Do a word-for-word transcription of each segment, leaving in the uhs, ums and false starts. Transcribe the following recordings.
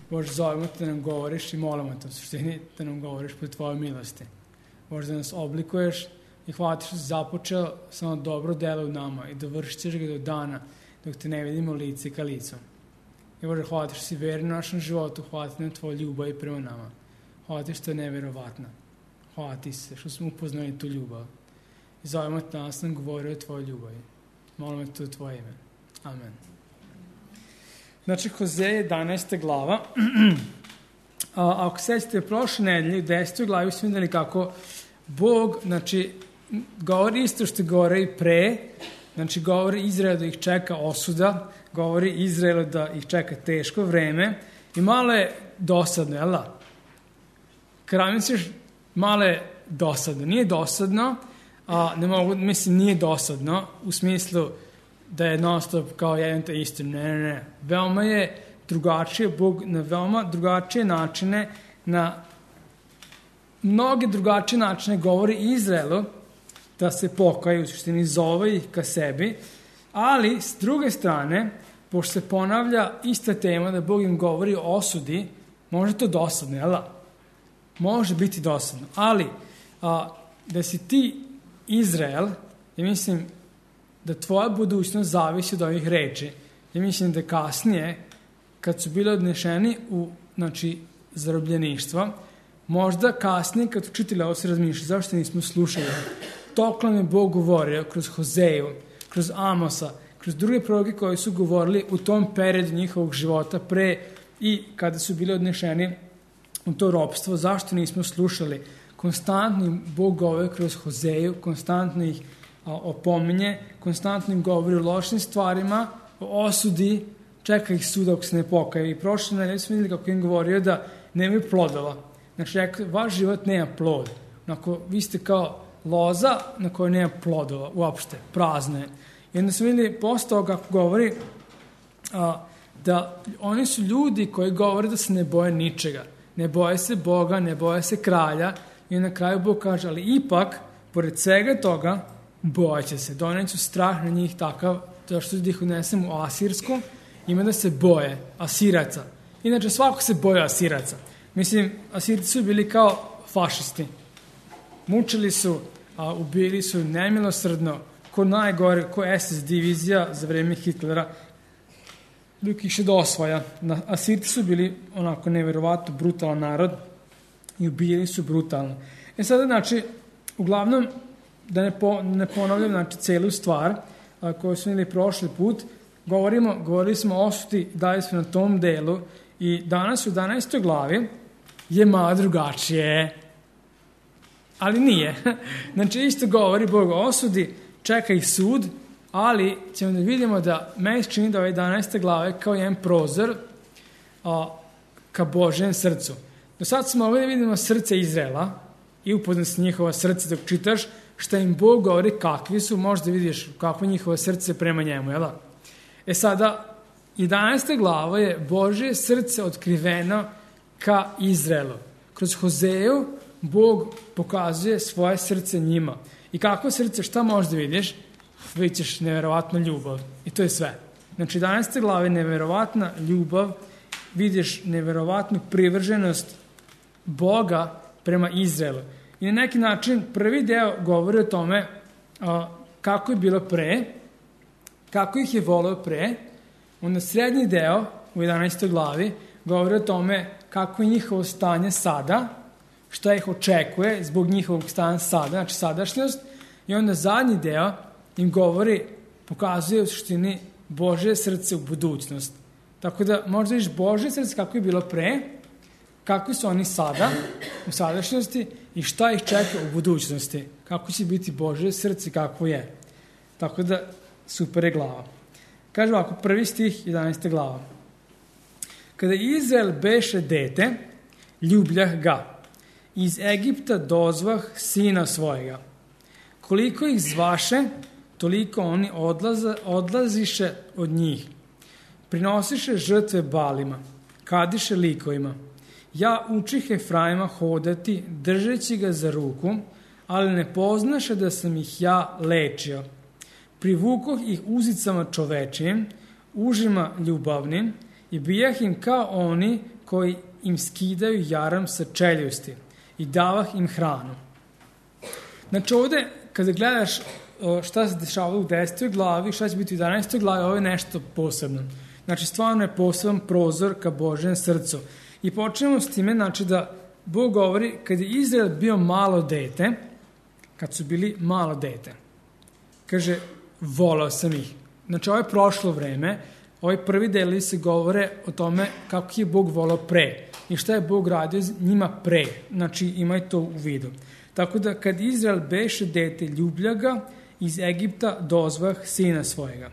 Bože, zovemo te da nam govoriš i molimo te u suštini da nam govoriš po tvojoj milosti. Bože, da nas oblikuješ i hvala ti što si započeo samo dobro delo u nama i dovršit ćeš ga do dana dok te ne vidimo lice ka licu. I Bože, hvala ti što si verni u našem životu, hvala ti na tvoju ljubav i prema nama. Hvala ti što je neverovatna. Hvala ti se što smo upoznali tu ljubav. I zovemo te nas nam govori o tvojoj ljubavi. Molimo te u tvoje ime. Amen. Znači, Hozej jedanaesta glava. A, ako sećate, prošle nedelje u desetoj glavi smo vidjeli kako Bog, znači, govori isto što govori i pre, znači, govori Izraelu da ih čeka osuda, govori Izraelu da ih čeka teško vreme i malo je dosadno, jel da? Kada misliš, malo je dosadno. Nije dosadno, a ne mogu, mislim, nije dosadno u smislu da je non stop kao jedan te isto. Ne, ne, ne. Veoma je drugačije, Bog na veoma drugačije načine, na mnoge drugačije načine govori Izraelu da se pokaju, u suštini zove ih ka sebi, ali s druge strane, pošto se ponavlja ista tema da Bog im govori o osudi, može to dosadno, jel da? Može biti dosadno, ali a, da si ti Izrael, ja mislim da tvoja budućnost zavisi od ovih reči. Ja mislim da kasnije, kad su bili odnešeni u, znači, zarobljeništvo, možda kasnije, kad su čitali ovo, se razmišljali, zašto nismo slušali? Toko nam je Bog govorio kroz Hozeju, kroz Amosa, kroz druge proroke koji su govorili u tom periodu njihovog života pre i kada su bili odnešeni u to ropstvo. Zašto nismo slušali? Konstantno im Bog govori kroz Hozeju, konstantno ih a, opominje, konstantno im govori o lošim stvarima, o osudi, čeka ih sud ako se ne pokaju. I prošle nedelje smo vidjeli kako im govorio da nemaju plodova. Znači, rekao, vaš život nema plod. Onako, vi ste kao loza na kojoj nema plodova, uopšte, prazno je. I onda smo vidjeli posle toga kako govori a, da oni su ljudi koji govore da se ne boje ničega. Ne boje se Boga, ne boje se kralja. I na kraju Bog kaže, ali ipak, pored svega toga, bojeće se. Doneću strah na njih takav, to što ih unesem u Asirsku, ima da se boje Asiraca. Inače, svako se boje Asiraca. Mislim, Asirci su bili kao fašisti. Mučili su, a ubili su nemilosrdno, ko najgore, ko es es divizija za vreme Hitlera, dok ih še do osvaja. Asirci su bili onako neverovatno brutalan narod i ubijali su brutalno. E sada, znači, uglavnom, da ne, po, ne ponavljam, znači, celu stvar a, koju smo imali prošli put, govorimo, govorili smo o osudi, dali smo na tom delu i danas u jedanaestoj glavi je malo drugačije. Ali nije. Znači, isto govori Bog o osudi, čeka ih sud, ali ćemo da vidimo da meni se čini da ove jedanaeste glave kao jedan prozor a, ka Božjem srcu. Do sad smo mogli da vidimo srce Izraela i upoznat se njihova srce dok čitaš šta im Bog govori kakvi su, možda vidiš kakvo njihovo srce prema njemu, jel da? E sada, jedanaesta glava je Božje srce otkriveno ka Izraelu. Kroz Hozeju Bog pokazuje svoje srce njima. I kakvo srce, šta možeš da vidiš? Vidiš neverovatnu ljubav. I to je sve. Znači, jedanaesta glava je neverovatna ljubav, vidiš neverovatnu privrženost Boga prema Izraelu. I na neki način prvi deo govori o tome a, kako je bilo pre, kako ih je voleo pre, onda srednji deo u jedanaestoj glavi govori o tome kako je njihovo stanje sada, šta ih očekuje zbog njihovog stanja sada, znači sadašnjost, i onda zadnji deo im govori, pokazuje u suštini Božje srce u budućnost. Tako da možda vidiš Božje srce kako je bilo pre, kakvi su oni sada, u sadašnjosti, i šta ih čeka u budućnosti. Kako će biti Božje srce, kako je. Tako da, super je glava. Kaže ovako, prvi stih, jedanaesta glava. Kada Izrael beše dete, ljubljah ga. Iz Egipta dozvah sina svojega. Koliko ih zvaše, toliko oni odlaza, odlaziše od njih. Prinosiše žrtve balima, kadiše likovima. Ja učih Efraima hodati, držeći ga za ruku, ali ne poznaše da sam ih ja lečio. Privukoh ih uzicama čovečijim, užima ljubavnim, i bijah im kao oni koji im skidaju jaram sa čeljusti i davah im hranu. Znači ovde, kada gledaš šta se dešavalo u desetoj glavi, šta će biti u jedanaestoj glavi, ovo je nešto posebno. Znači, stvarno je poseban prozor ka Božjem srcu. I počnemo s time, znači da Bog govori, kad je Izrael bio malo dete, kad su bili malo dete, kaže, volao sam ih. Znači, ovo je prošlo vreme, ovaj prvi deli se govore o tome kako je Bog volao pre i šta je Bog radio njima pre. Znači, imaj to u vidu. Tako da, kad Izrael beše dete, ljublja ga, iz Egipta dozvah sina svojega.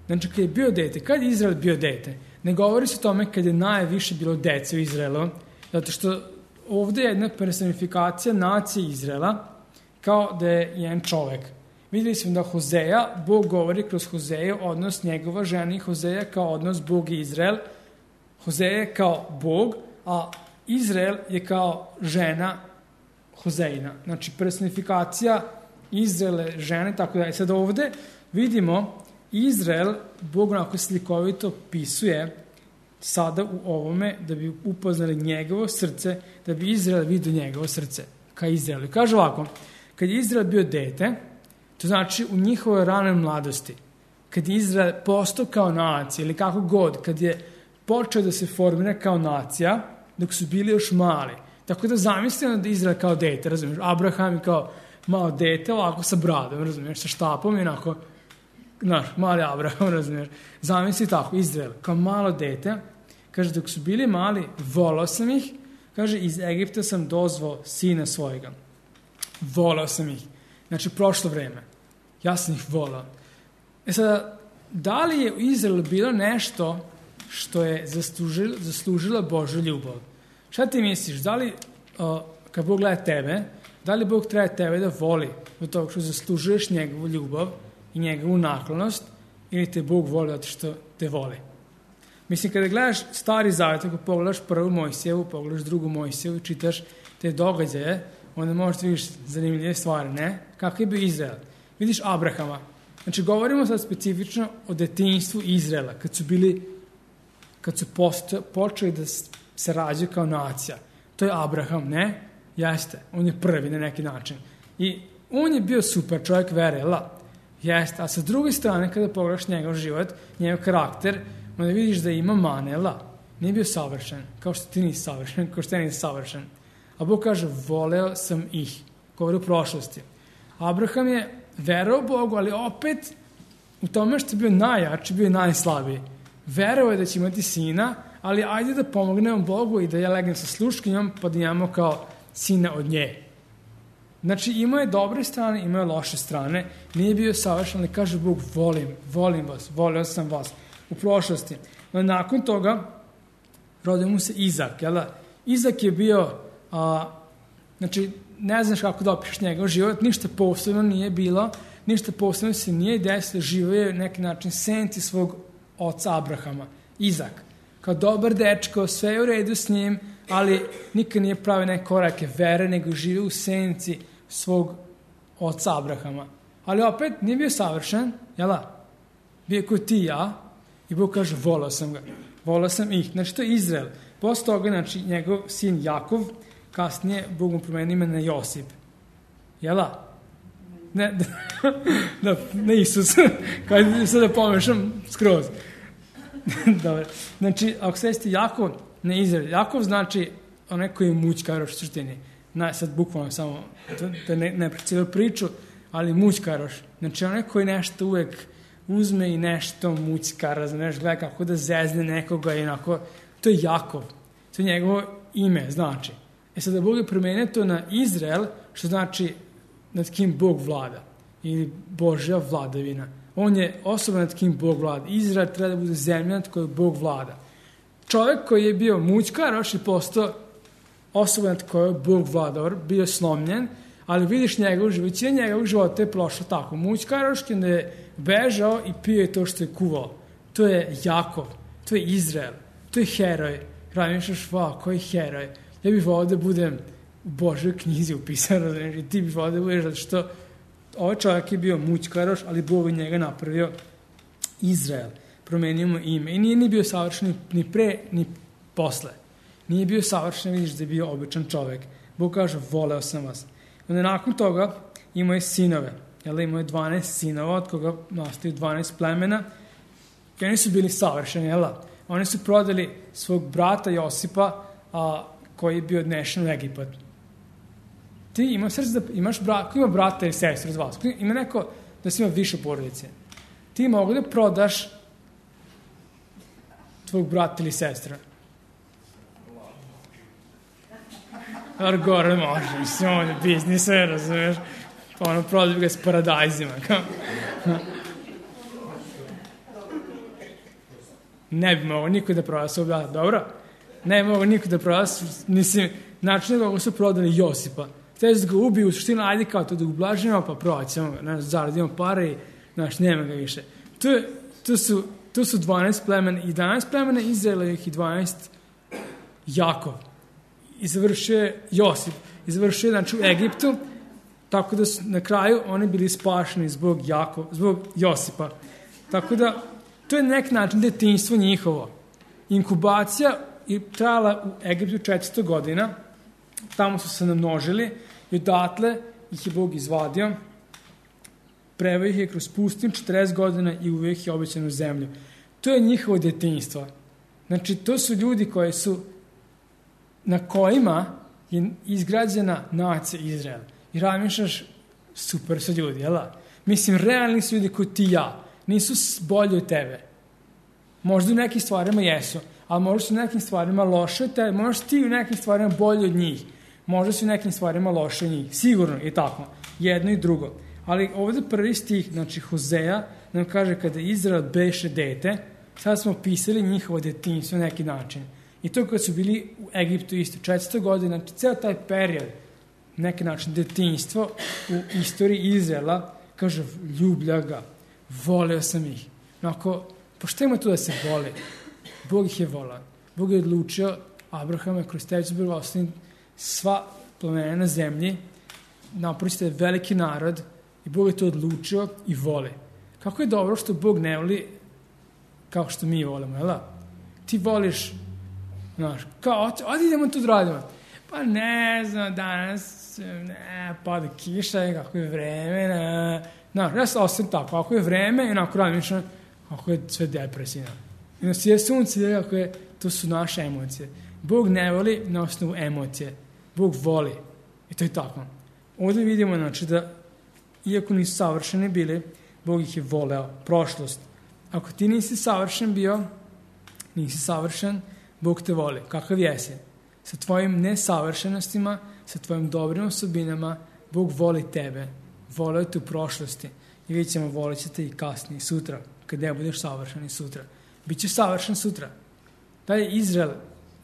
Znači, kad je bio dete, kad je Izrael bio dete, ne govori se o tome kad je najviše bilo dece u Izraelu, zato što ovde je jedna personifikacija nacije Izraela, kao da je jedan čovek. Vidjeli smo da Hozeja, Bog govori kroz Hozeju, odnos njegova žena i Hozeja kao odnos Bog i Izrael. Hozeja je kao Bog, a Izrael je kao žena Hozejina. Znači, personifikacija Izraele žene, tako da je. Sad ovde vidimo Izrael, Bog onako slikovito pisuje sada u ovome da bi upoznali njegovo srce, da bi Izrael vidio njegovo srce ka Izraelu. Kaže ovako, kad je Izrael bio dete, to znači u njihovoj ranoj mladosti, kad je Izrael postao kao nacija ili kako god, kad je počeo da se formira kao nacija, dok su bili još mali. Tako da zamislimo da je Izrael kao dete, razumiješ, Abraham je kao malo dete, ovako sa bradom, razumiješ, sa štapom i onako, znaš, mali Abraham, razumiješ. Zamisli tako, Izrael, kao malo dete, kaže, dok su bili mali, volao sam ih, kaže, iz Egipta sam dozvao sina svojega. Volao sam ih. Znači, prošlo vreme. Ja sam ih volao. E sada, da li je u Izraelu bilo nešto što je zaslužila, zaslužila Božja ljubav? Šta ti misliš? Da li, uh, kad Bog gleda tebe, da li Bog treba tebe da voli od toga što zaslužuješ njegovu ljubav i njegovu naklonost, ili te Bog voli zato što te voli? Mislim, kada gledaš Stari Zavet, ako pogledaš prvu Mojsijevu, pogledaš drugu Mojsijevu, čitaš te događaje, onda možeš vidiš zanimljive stvari, ne? Kako je bio Izrael? Vidiš Abrahama. Znači, govorimo sad specifično o detinjstvu Izraela, kad su bili, kad su posto, počeli da se rađaju kao nacija. To je Abraham, ne? Jeste. On je prvi na neki način. I on je bio super čovjek vere, la? Jeste. A sa druge strane, kada pogledaš njegov život, njegov karakter, onda vidiš da ima mane, la? Nije bio savršen, kao što ti nisi savršen, kao što ja nisi savršen. A Bog kaže, voleo sam ih. Govori u prošlosti. Abraham je verao Bogu, ali opet u tome što je bio najjači, bio je najslabiji. Verao je da će imati sina, ali ajde da pomognemo Bogu i da ja legnem sa sluškinjom, pa da imamo kao sina od nje. Znači, imao je dobre strane, imao je loše strane, nije bio savršen, ali kaže Bog, volim, volim vas, volio sam vas u prošlosti. No, nakon toga, rodio mu se Izak, jel da? Izak je bio, a, znači, ne znaš kako da opišeš njegov život, ništa posebno nije bilo, ništa posebno se nije desilo, živo je neki način senci svog oca Abrahama, Izak. Kao dobar dečko, sve je u redu s njim, ali nikad nije pravio neke korake vere, nego živio u senci svog oca Abrahama. Ali opet nije bio savršen, jel da? Bio je kao ti i ja, i Bog kaže, volao sam ga, volao sam ih. Znači, to je Izrael. Posle toga, znači, njegov sin Jakov, kasnije Bog mu promenio ime na Josip. Jel da? Ne, da, ne Isus. Kada sad da pomešam skroz. Dobre. Znači, ako se jeste Jakov, ne Izrael. Jakov znači onaj koji je mućkaroš u suštini. Na, sad bukvalno samo, da ne, ne precijelo priču, ali mućkaroš. Znači, onaj koji nešto uvek uzme i nešto mućkara, znaš, gleda kako da zezne nekoga i onako. To je Jakov. To je njegovo ime, znači. E sada Bog je promenio to na Izrael, što znači nad kim Bog vlada. Ili Božja vladavina. On je osoba nad kim Bog vlada. Izrael treba da bude zemlja nad kojoj Bog vlada. Čovjek koji je bio mućkaroš je postao osoba nad kojoj Bog vlada. Bio slomljen, ali vidiš njegov život. Većina njegovog života je prošlo tako. Mućkaroš kada je bežao i pio je to što je kuvao. To je Jakov. To je Izrael. To je heroj. Razmišljaš, wow, koji heroj. Ja bih volao da budem u Božoj knjizi upisan, i ti bih volao da budeš, zato što ovaj čovjek je bio mućkaroš, ali Bog je njega napravio Izrael. Promenio mu ime. I nije ni bio savršen ni pre, ni posle. Nije bio savršen, vidiš da je bio običan čovek. Bog kaže, voleo sam vas. Onda nakon toga imao je sinove. Jel, imao je dvanaest sinova, od koga nastaju dvanaest plemena. I oni su bili savršeni, jel? Oni su prodali svog brata Josipa, a, koji je bio odnešen u Egipat. Ti imaš srce da imaš brat, ko ima brata ili sestru od vas? Ima neko da si ima više porodice. Ti mogu da prodaš tvog brata ili sestra. Ar gore može, mislim, on je biznise, razumiješ? Pa ono, prodaju ga s paradajzima. Ne bi mogo niko da proda svog brata, dobro? Ne bi mogo niko da proda, mislim, način da su prodali Josipa. Hteli su ga ubiju, u suštini, ajde kao to da ublažimo, pa proćemo, znaš, zaradimo pare i, znaš, nema ga više. To, to, su, to su dvanaest plemena, i jedanaest plemena Izraelovih i dvanaest Jakov. I završio je Josip. I završio je, znači, u Egiptu, tako da su na kraju oni bili spašeni zbog, Jakov, zbog Josipa. Tako da, to je nek način detinjstvo njihovo. Inkubacija je trajala u Egiptu četiristo godina, tamo su se namnožili i odatle ih je Bog izvadio, preveo ih je kroz pustinju četrdeset godina i uveo ih je obećanu zemlju. To je njihovo detinjstvo. Znači, to su ljudi koji su, na kojima je izgrađena nacija Izrael. I razmišljaš, super su ljudi, jel da? Mislim, realni su ljudi koji ti i ja. Nisu bolji od tebe. Možda u nekim stvarima jesu, ali možda su u nekim stvarima loše od tebe, možda ti u nekim stvarima bolji od njih. Možda su u nekim stvarima loše od njih. Sigurno je tako. Jedno i drugo. Ali ovdje prvi stih, znači Hozeja, nam kaže kada Izrael beše dete, sad smo opisali njihovo detinjstvo na neki način. I to kad su bili u Egiptu isto, četiristo godina, znači ceo taj period, neki način detinjstvo u istoriji Izraela, kaže, ljublja ga, voleo sam ih. Onako, pošto ima tu da se voli? Bog ih je volao. Bog je odlučio Abrahama kroz tebe će bilo ostaviti sva plemena na zemlji, napravite veliki narod i Bog je to odlučio i voli. Kako je dobro što Bog ne voli kao što mi volimo, jel da? Ti voliš, znaš, kao, odi idemo tu da radimo. Pa ne znam, danas, ne, pada kiša, kako je vreme, ne. Znaš, ja sam ostavim tako, ako je vreme, onako radim, ako je sve depresivno. I nas je sunce, ako je, to su naše emocije. Bog ne voli na osnovu emocije. Bog voli. I to je tako. Ovdje vidimo, znači, da iako nisu savršeni bili, Bog ih je voleo. Prošlost. Ako ti nisi savršen bio, nisi savršen, Bog te voli. Kakav jesi? Sa tvojim nesavršenostima, sa tvojim dobrim osobinama, Bog voli tebe. Voleo te u prošlosti. I vidjet ćemo, volit ćete i kasnije, sutra, kad ne budeš savršen i sutra. Biće savršen sutra. Da je Izrael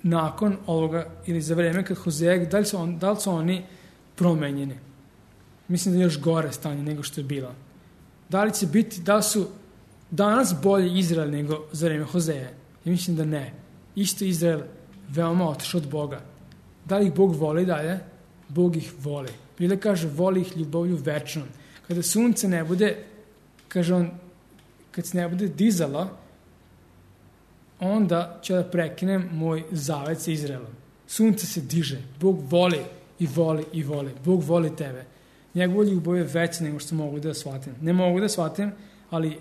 nakon ovoga, ili za vreme kad Hozeja, da li su, on, da li su oni promenjeni? Mislim da je još gore stanje nego što je bilo. Da li će biti, da li su danas bolji Izrael nego za vreme Hozeja? Ja mislim da ne. Isto Izrael veoma otišao od Boga. Da li ih Bog voli dalje? Bog ih voli. Biblia kaže, voli ih ljubavlju večnom. Kada sunce ne bude, kaže on, kad se ne bude dizalo, onda ću da prekinem moj zavet sa Izraelom. Sunce se diže. Bog voli i voli i voli. Bog voli tebe. Njegova ljubav je veća nego što mogu da shvatim. Ne mogu da shvatim, ali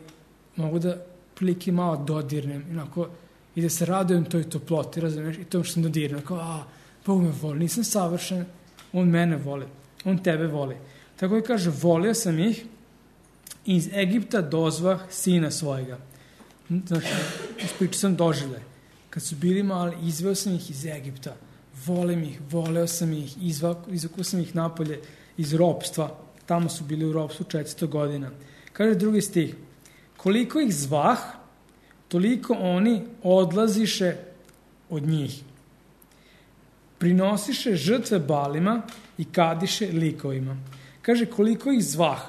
mogu da prilike malo dodirnem. Inako, i da se radujem toj toploti, razumiješ? I tom što sam dodirnem. Kao, a, Bog me voli. Nisam savršen. On mene voli. On tebe voli. Tako je kaže, volio sam ih, iz Egipta dozvah sina svojega. Znači, ispričao sam doživljaj. Kad su bili mali, izveo sam ih iz Egipta. Volim ih, voleo sam ih, izvukao sam ih napolje iz ropstva. Tamo su bili u ropstvu četiristo godina. Kaže drugi stih, koliko ih zvah, toliko oni odlaziše od njih. Prinosiše žrtve balima i kadiše likovima. Kaže, koliko ih zvah.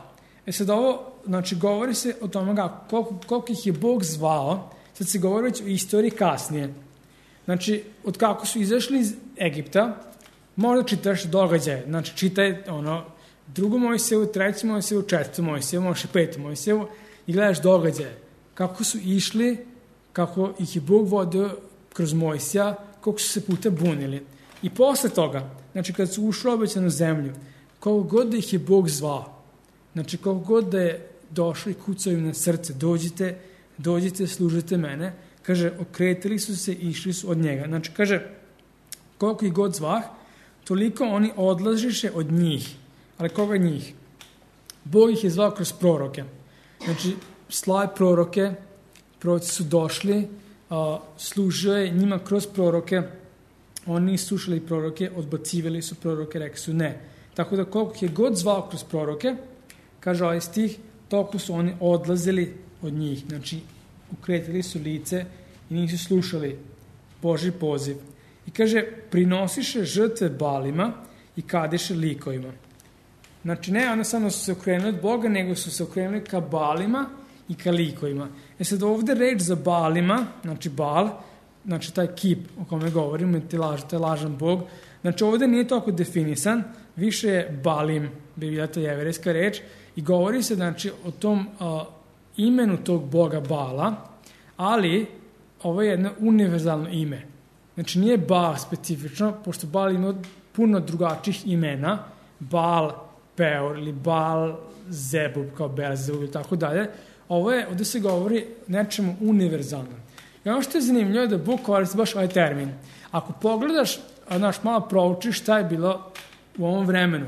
E sad ovo, znači, govori se o tome koliko, koliko ih je Bog zvao, sad se govori već o istoriji kasnije. Znači, od kako su izašli iz Egipta, možda čitaš događaje. Znači, čitaj ono, drugu Mojsijevu, treću Mojsijevu, četvrtu Mojsijevu, možda petu Mojsijevu i gledaš događaje. Kako su išli, kako ih je Bog vodio kroz Mojsija, koliko su se puta bunili. I posle toga, znači kad su ušli u obećanu zemlju, koliko god da ih je Bog zvao, znači koliko god da je došli i kucao im na srce, dođite, dođite, služite mene, kaže, okretili su se i išli su od njega. Znači, kaže, koliko ih god zvah, toliko oni odlažiše od njih. Ali koga njih? Bog ih je zvao kroz proroke. Znači, slave proroke, proroci su došli, a, služio je njima kroz proroke, oni nisu slušali proroke, odbacivali su proroke, rekli su ne. Tako da koliko ih je god zvao kroz proroke, kaže ovaj stih, toliko su oni odlazili od njih. Znači, ukretili su lice i nisu slušali Božji poziv. I kaže, prinosiše žrtve balima i kadeše likovima. Znači, ne ono samo su se okrenuli od Boga, nego su se okrenuli ka balima i ka likovima. E sad ovde reč za balima, znači bal, znači taj kip o kome govorimo, ti laž, taj lažan Bog, znači ovde nije toliko definisan, više je balim, bi bila to jevrejska reč, i govori se znači o tom uh, imenu tog Boga Bala, ali ovo je jedno univerzalno ime. Znači nije Bal specifično, pošto Bal ima puno drugačijih imena, Bal Peor ili Bal Zebub kao Belzebub ili tako dalje. Ovo je, ovde se govori nečemu univerzalnom. I ono što je zanimljivo je da Bog koristi baš ovaj termin. Ako pogledaš, znaš, malo proučiš šta je bilo u ovom vremenu,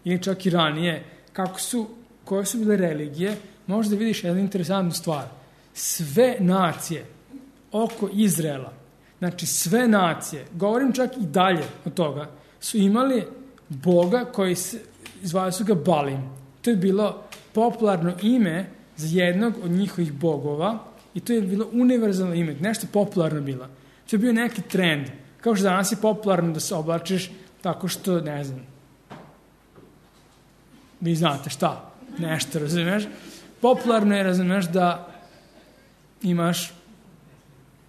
ili čak i ranije, kako su, koje su bile religije, možda vidiš jednu interesantnu stvar. Sve nacije oko Izraela, znači sve nacije, govorim čak i dalje od toga, su imali Boga koji se, zvali su ga Balim. To je bilo popularno ime za jednog od njihovih bogova i to je bilo univerzalno ime, nešto popularno bilo. To je bio neki trend. Kao što danas je popularno da se oblačiš tako što, ne znam, vi znate šta, nešto, razumeš? Popularno je, razumeš, da imaš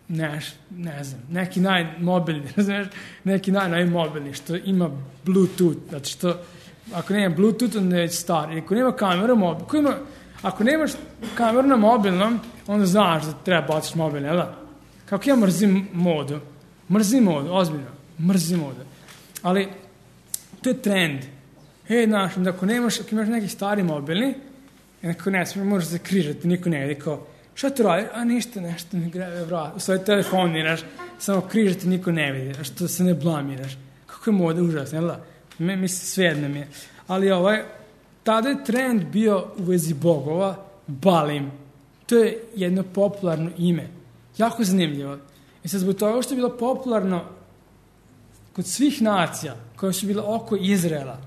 neš, ne znam, neki najmobilni, razumeš, neki naj, najmobilni, što ima Bluetooth, znači što, ako nema Bluetooth, onda je star, i ako nema kameru mobilnu, ako, ima, ako nemaš kameru na mobilnom, onda znaš da treba baciš mobilne, jel da? Kako ja mrzim modu, mrzim modu, ozbiljno, mrzim modu, ali to je trend. E, znaš, da ako nemaš, ako imaš neki stari mobilni, neko ne smije, možeš se križati, niko ne vidi, kao, šta tu radi? A ništa, nešto mi grebe vrat. U svoj telefon niraš, samo križati, niko ne vidi, a što se ne blamiraš. Kako je moda užasna, jel da? Me, mislim, svejedno mi je. Ali ovaj, tada je trend bio u vezi bogova, Balim. To je jedno popularno ime. Jako zanimljivo. I sad zbog toga što je bilo popularno kod svih nacija koje su bile oko Izraela,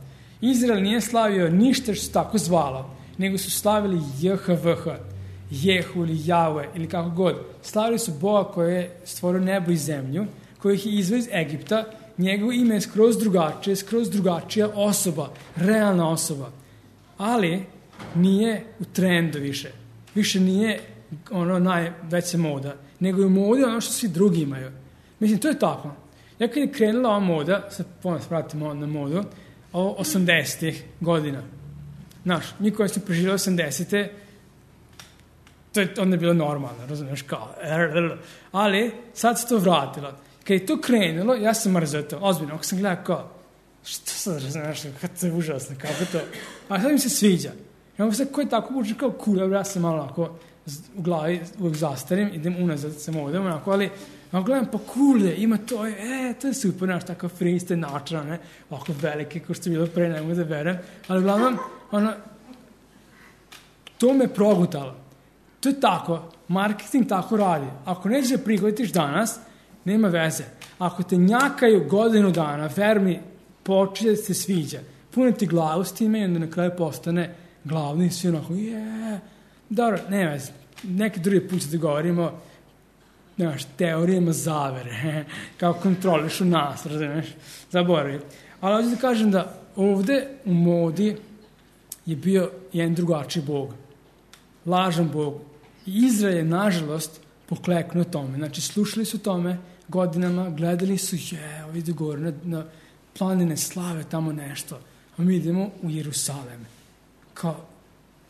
Izrael nije slavio ništa što se tako zvalo, nego su slavili J H V H, Jehu ili Jahve ili kako god. Slavili su Boga koji je stvorio nebo i zemlju, koji ih je izveo iz Egipta, njegovo ime je skroz drugačije, skroz drugačija osoba, realna osoba. Ali nije u trendu više. Više nije ono najveća moda, nego je u modi ono što svi drugi imaju. Mislim, to je tako. Ja kad je krenula ova moda, sad ponovno vratimo na modu, ovo osamdesetih godina. Znaš, mi koji smo preživjeli osamdesete, to je onda bilo normalno, razumiješ, kao, ali sad se to vratilo. Kad je to krenulo, ja sam mrzio to, ozbiljno, ako sam gledao kao, što sad, razumiješ, kako je užasno, kako to, a sad mi se sviđa. I onda sad, ko je tako uđe kao cool, ja sam malo onako u glavi uvijek zastarim, idem unazad sa modom, onako, ali ja gledam, pa cool je, ima to, e, to je super, naš, takav freestyle načina, ne, ovako velike, ko što je bilo pre, ne mogu da verem, ali uglavnom, ono, to me progutalo. To je tako, marketing tako radi. Ako nećeš da prihvatiš danas, nema veze. Ako te njakaju godinu dana, ver mi, počne da se sviđa. Puno ti glavu s time i onda na kraju postane glavni i svi onako, je, dobro, nema veze. Neki drugi put da govorimo, nemaš, teorijama zavere, kao kontrolišu nas, razumiješ, zaboravim. Ali ovdje da kažem da ovde u modi je bio jedan drugačiji Bog. Lažan Bog. I Izrael je, nažalost, pokleknuo tome. Znači, slušali su tome godinama, gledali su, je, ovdje gore, na, na planine slave, tamo nešto. A mi idemo u Jerusalem. Kao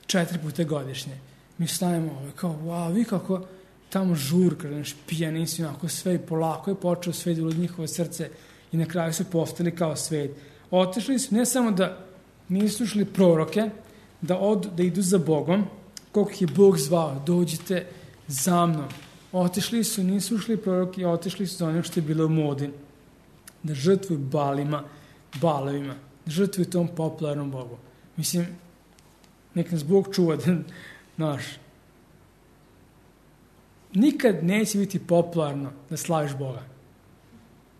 četiri puta godišnje. Mi stavimo ovo, kao, wow, vi kako tamo žurka, znaš, pijani su onako sve i polako je počeo svet u njihovo srce i na kraju su postali kao svet. Otišli su ne samo da nisu slušali proroke, da, od, da idu za Bogom, koliko je Bog zvao, dođite za mnom. Otišli su, nisu slušali proroke i otišli su za ono što je bilo u modi. Da žrtvuju balima, balovima, da žrtvuju tom popularnom Bogu. Mislim, nek nas Bog čuva da, naš, nikad neće biti popularno da slaviš Boga.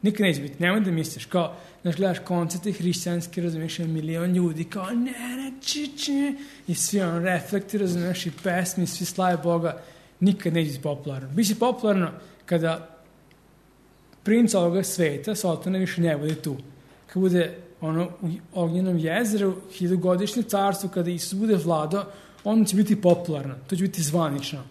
Nikad neće biti. Nemoj da misliš, kao, znaš, gledaš koncerte hrišćanske, razumiješ, milion ljudi, kao, ne, ne, či, či, i svi ono reflekti, razumiješ, i pesmi, svi slave Boga, nikad neće biti popularno. Biće popularno kada princ ovoga sveta, Sotona, više ne bude tu. Kad bude ono u ognjenom jezeru, hiljadugodišnje carstvo, kada Isus bude vladao, ono će biti popularno, to će biti zvanično.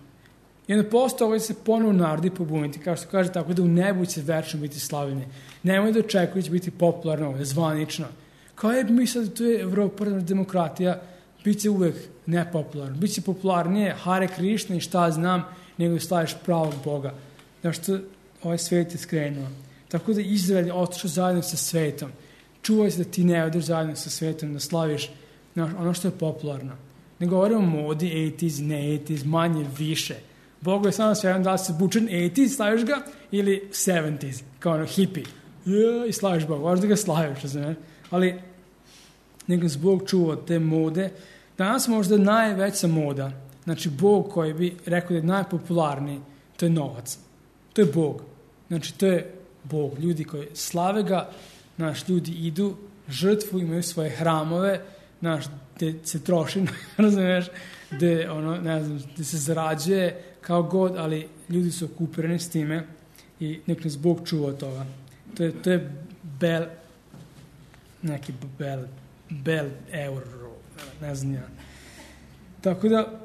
I onda posle ovo će se ponovo narodi pobuniti, kao što kaže, tako da u nebu će večno biti slavljenje. Nemoj da očekuju će biti popularno ovdje, zvanično. Kao je, mi sad, to je Evropa, demokratija, bit će uvek nepopularno. Biće popularnije Hare Krišna i šta znam, nego da slaviš pravog Boga. Znaš što ovaj svet je skrenuo. Tako da Izrael je otišao zajedno sa svetom. Čuvaj se da ti ne odeš zajedno sa svetom, da slaviš znaš, ono što je popularno. Ne govorimo o modi, osamdeset, ne osamdeset, manje, više. Bogu je samo sve da li se bučen osamdeset, slaviš ga, ili sedamdeset, kao ono hippie. Ja, i slaviš Boga, možda ga slaviš, razumiješ? Ali nego se Bog čuva od te mode. Danas možda najveća moda, znači Bog koji bi rekao da je najpopularniji, to je novac. To je Bog. Znači, to je Bog. Ljudi koji slave ga, naš ljudi idu, žrtvu, imaju svoje hramove, naš, gde se troši, razumiješ, gde, ono, ne znam, gde se zarađuje kao god, ali ljudi su okupirani s time i nek nas Bog čuva od toga. To je, to je bel, neki bel, bel euro, ne znam ja. Tako da,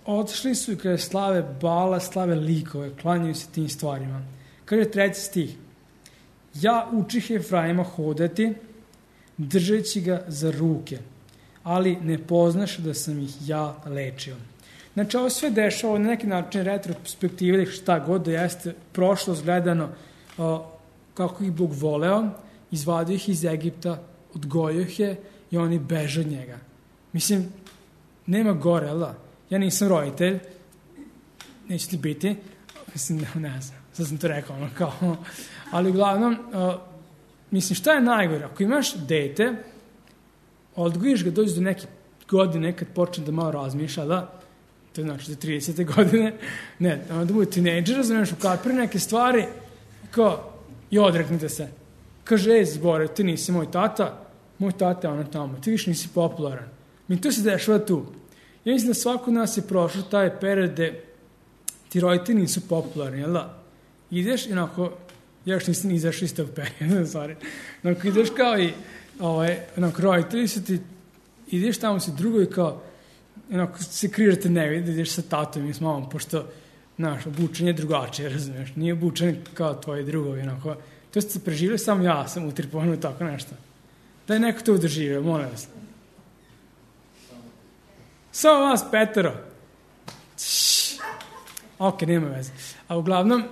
otišli su i kada slave bala, slave likove, klanjaju se tim stvarima. Kaže treći stih. Ja učih Efraima hodati, držeći ga za ruke, ali ne poznaš da sam ih ja lečio. Znači, ovo sve dešava na neki način retrospektive ili šta god da jeste prošlost gledano o, kako ih Bog voleo, izvadio ih iz Egipta, odgojio ih je i oni beže od njega. Mislim, nema gore, ali da? Ja nisam roditelj, neće ti biti, mislim, ne znam, sad sam to rekao, ono kao, ali uglavnom, uh, mislim, šta je najgore? Ako imaš dete, odgojiš ga, dođeš do neke godine, kad počne da malo razmišlja, da, to je znači do tridesete godine, ne, da bude tinejdžer, razumiješ, ukapiri neke stvari, kao, i odreknite se. Kaže, ej, zbore, ti nisi moj tata, moj tata je ono tamo, ti više nisi popularan. Mi to se dešava tu. Ja mislim da svako od nas je prošao taj period gde ti roditelji nisu popularni, jel da? Ideš i onako, ja još nisam izašao iz tog perioda, sorry. Onako ideš kao i, ovaj, onako roditelji su ti, ideš tamo si drugo i kao, onako se križa te ne vidi, ideš sa tatom i s mamom, pošto, znaš, obučenje je drugačije, razumiješ? Nije obučenje kao tvoji drugovi, onako. To ste preživjeli, samo ja sam utripovano tako nešto. Da je neko to doživio, molim vas. Samo vas, petero. Čš. Ok, nema veze. A uglavnom,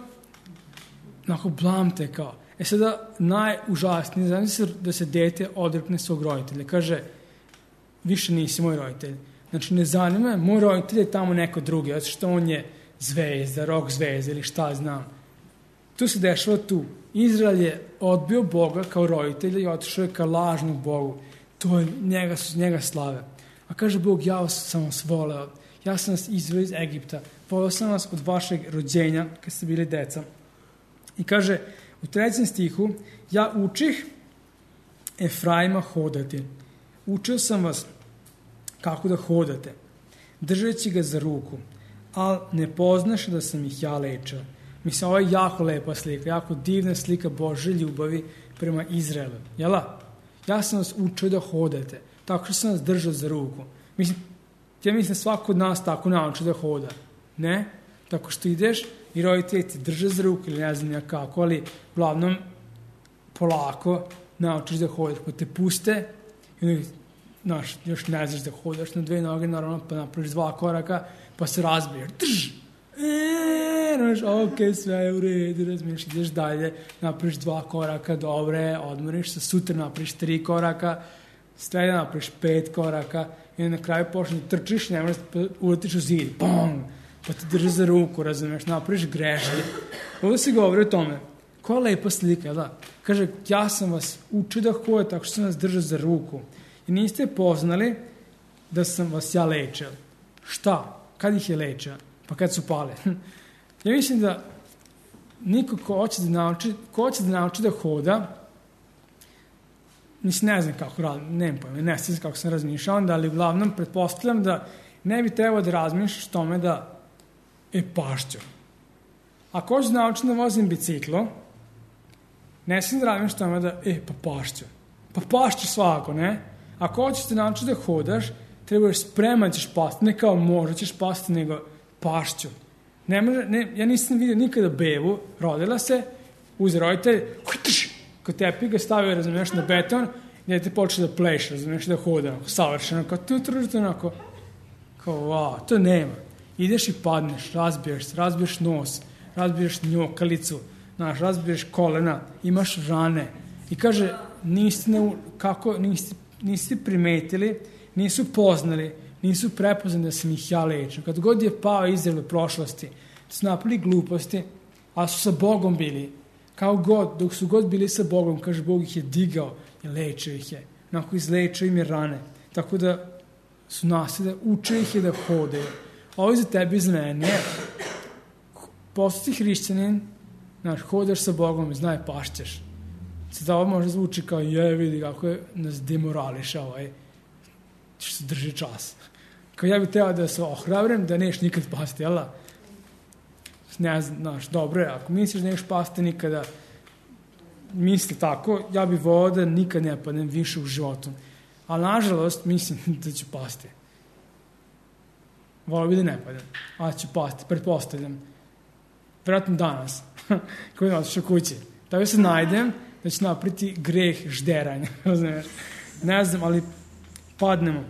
onako blamte kao. E sada, najužasnije, znači se da se dete odrekne svog roditelja. Kaže, više nisi moj roditelj. Znači, ne zanima me, moj roditelj je tamo neko drugi, zato što on je zvezda, rock zvezda ili šta znam. Tu se dešava tu. Izrael je odbio Boga kao roditelja i otišao je ka lažnom Bogu. To je njega, njega slave. A kaže Bog, ja sam vas voleo, ja sam vas izveo iz Egipta, voleo sam vas od vašeg rođenja, kad ste bili deca. I kaže, u trećem stihu, ja učih Efraima hodati. Učio sam vas kako da hodate, držeći ga za ruku, ali ne poznaš da sam ih ja lečio. Mislim, ovo je jako lepa slika, jako divna slika Božje ljubavi prema Izraelu. Jela? Ja sam vas učio da hodate, tako što sam vas držao za ruku. Mislim, ja mislim svako od nas tako nauči da hoda. Ne? Tako što ideš i roditelji ti drže za ruku ili ne znam ja kako, ali uglavnom polako naučiš da hodaš, pa te puste i onda, znaš, još ne znaš da hodaš na dve noge, naravno, pa napraviš dva koraka, pa se razbiješ. Drž! Eee! ne, no, ok, sve je u redu, razumiješ, ideš dalje, napraviš dva koraka, dobre, odmoriš se, sutra napraviš tri koraka, sreda napraviš pet koraka i na kraju počneš da trčiš, ne možeš da uletiš u zid, bong, pa te drži za ruku, razumiješ, napraviš greške. Ovdje se govori o tome, koja lepa slika, da? Kaže, ja sam vas učio da hodite tako što sam vas držao za ruku i niste poznali da sam vas ja lečio. Šta? Kad ih je lečio? Pa kad su pale. Ja mislim da niko ko hoće da nauči, ko hoće da nauči da hoda, mislim, ne znam kako radim, nemam pojma, ne znam kako sam razmišljao onda, ali uglavnom pretpostavljam da ne bi trebao da razmišljaš tome da je pašćo. Ako hoćeš da naučiti da vozim biciklo, ne sam da razmišljaš tome da e, pa pašćo. Pa pašćo svako, ne? Ako hoćeš da naučiti da hodaš, trebaš spreman ćeš pasti, ne kao možda ćeš pasti, nego pašću. Ne može, ne, ja nisam vidio nikada bebu, rodila se, uz roditelj, kod tepi ga stavio, razumiješ, na beton, gdje te počne da pleš, razumiješ, da hoda, savršeno, kao tu tružite, onako, kao, wow, to nema. Ideš i padneš, razbiješ se, razbiješ nos, razbiješ njokalicu, znaš, razbiješ kolena, imaš rane. I kaže, niste, ne, kako, niste, niste primetili, nisu poznali, nisu prepoznali da sam ih ja lečio. Kad god je pao Izrael u prošlosti, su napali gluposti, a su sa Bogom bili. Kao god, dok su god bili sa Bogom, kaže, Bog ih je digao i lečio ih je. Onako izlečio im je rane. Tako da su naslede, uče ih je da hodaju. Ovo za tebi i za mene. Postati hrišćanin, znaš, hodaš sa Bogom i znaj, pašćeš. Sada ovo možda zvuči kao, je, vidi kako je nas demorališa ovaj, što se drži čas. Kao ja bih trebao da se ohrabrim, da neš nikad pasti, jel da? Ne znam, znaš, dobro je, ako misliš da neš pasti nikada, misli tako, ja bih volao da nikad ne padnem više u životu. Ali, nažalost, mislim da ću pasti. Volao bih da ne padnem, ali ću pasti, pretpostavljam. Vjerojatno danas, koji je otišao kući. Tako se najdem da ću napriti greh žderanja, razumiješ? Ne znam, ali padnemo.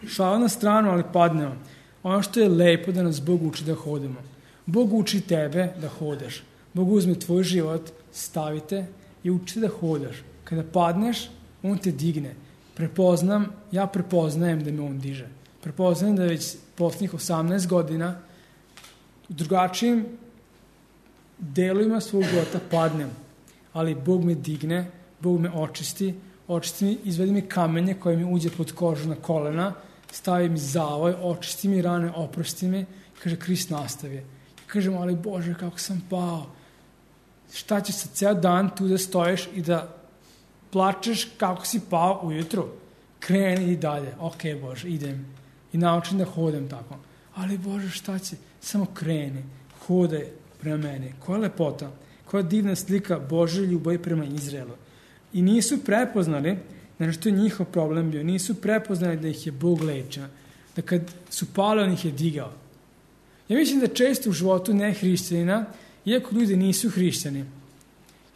Šala na stranu, ali padnemo. Ono što je lepo da nas Bog uči da hodimo. Bog uči tebe da hodaš. Bog uzme tvoj život, stavite i uči da hodaš. Kada padneš, on te digne. Prepoznam, ja prepoznajem da me on diže. Prepoznajem da već posljednjih osamnaest godina u drugačijim delovima svog života padnem. Ali Bog me digne, Bog me očisti, očisti mi, izvedi mi kamenje koje mi uđe pod kožu na kolena, stavi mi zavoj, očisti mi rane, oprosti mi, kaže, Krist nastavi. Kažem, ali Bože, kako sam pao. Šta će se ceo dan tu da stojiš i da plačeš kako si pao ujutru? Kreni i dalje. Ok, Bože, idem. I naučim da hodam tako. Ali Bože, šta će? Samo kreni. Hodaj prema meni. Koja lepota. Koja divna slika Bože ljubavi prema Izraelu. I nisu prepoznali, znači što je njihov problem bio, nisu prepoznali da ih je Bog lečio. Da kad su pali, on ih je digao. Ja mislim da često u životu ne hrišćanina, iako ljudi nisu hrišćani,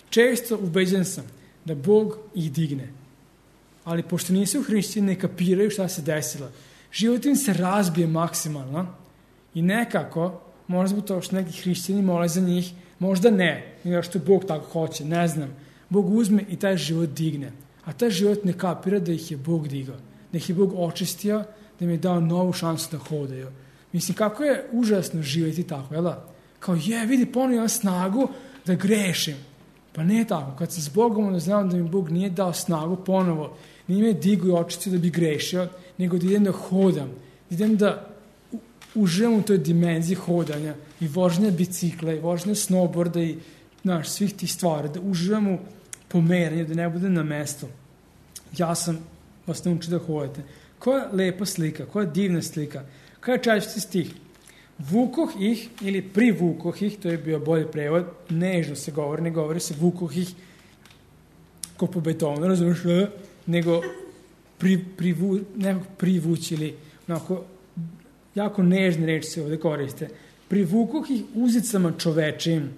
često ubeđen sam da Bog ih digne. Ali pošto nisu hrišćani, ne kapiraju šta se desilo. Život im se razbije maksimalno i nekako, možda zbog toga što neki hrišćani mole za njih, možda ne, nego što Bog tako hoće, ne znam. Bog uzme i taj život digne. A taj život ne kapira da ih je Bog digao. Da ih je Bog očistio, da im je dao novu šansu da hodaju. Mislim, kako je užasno živjeti tako, jel da? Kao, je, vidi, ponovno imam snagu da grešim. Pa ne tako. Kad sam s Bogom, onda znam da mi Bog nije dao snagu ponovo. Nije me digu i očistio da bi grešio, nego da idem da hodam. Da idem da uživam u toj dimenziji hodanja i vožnje bicikla i vožnje snowboarda i, znaš, svih tih stvari. Da uživam u pomeranju, da ne budem na mestu. Ja sam vas naučio da hodate. Koja lepa slika, koja divna slika. Kaj je četvrti stih? Vukoh ih ili privukoh ih, to je bio bolji prevod, nežno se govori, ne govori se vukoh ih ko po betonu, razumiješ, nego pri, privu, nekog privući ili onako, jako nežne reči se ovdje koriste. Privukoh ih uzicama čovečim,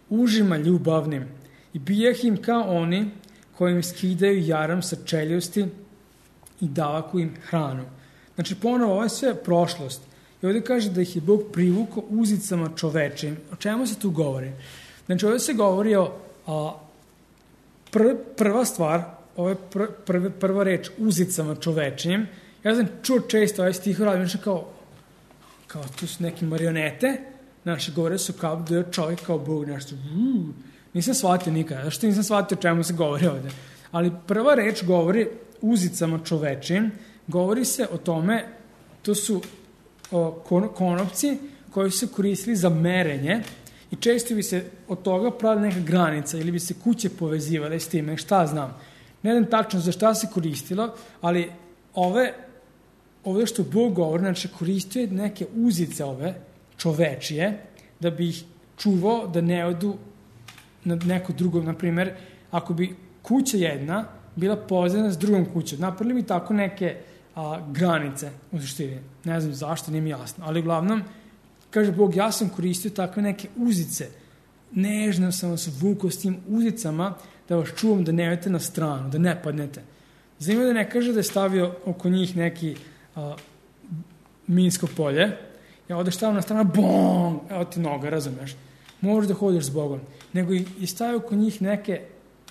užima ljubavnim i bijeh im kao oni kojim skidaju jaram sa čeljusti i davaku im hranu. Znači, ponovo, ovo je sve prošlost. I ovdje kaže da ih je Bog privukao uzicama čovečim. O čemu se tu govori? Znači, ovdje se govori o a, pr, prva stvar, ovo je pr, pr, prva reč uzicama čovečim. Ja sam čuo često ovaj stih radim, znači kao, kao tu su neke marionete, naše govore su kao da je čovjek kao Bog, nešto, uh, nisam shvatio nikada, zašto nisam shvatio o čemu se govori ovdje. Ali prva reč govori uzicama čovečim, govori se o tome, to su o, kon, konopci koji su koristili za merenje i često bi se od toga pravila neka granica ili bi se kuće povezivale s time, šta znam. Ne znam tačno za šta se koristilo, ali ove, ovdje što Bog govori, znači koristio je neke uzice ove čovečije da bi ih čuvao da ne odu na neko drugo, na primjer, ako bi kuća jedna bila povezana s drugom kućom, napravili bi tako neke a, granice u suštini. Ne znam zašto, nije mi jasno, ali uglavnom, kaže Bog, ja sam koristio takve neke uzice, nežno sam vas vukao s tim uzicama da vas čuvam da ne idete na stranu, da ne padnete. Zanimljivo da ne kaže da je stavio oko njih neki a, minsko polje, ja odeš tamo na stranu, bom, evo ti noga, razumeš, možeš da hodiš s Bogom, nego i stavio oko njih neke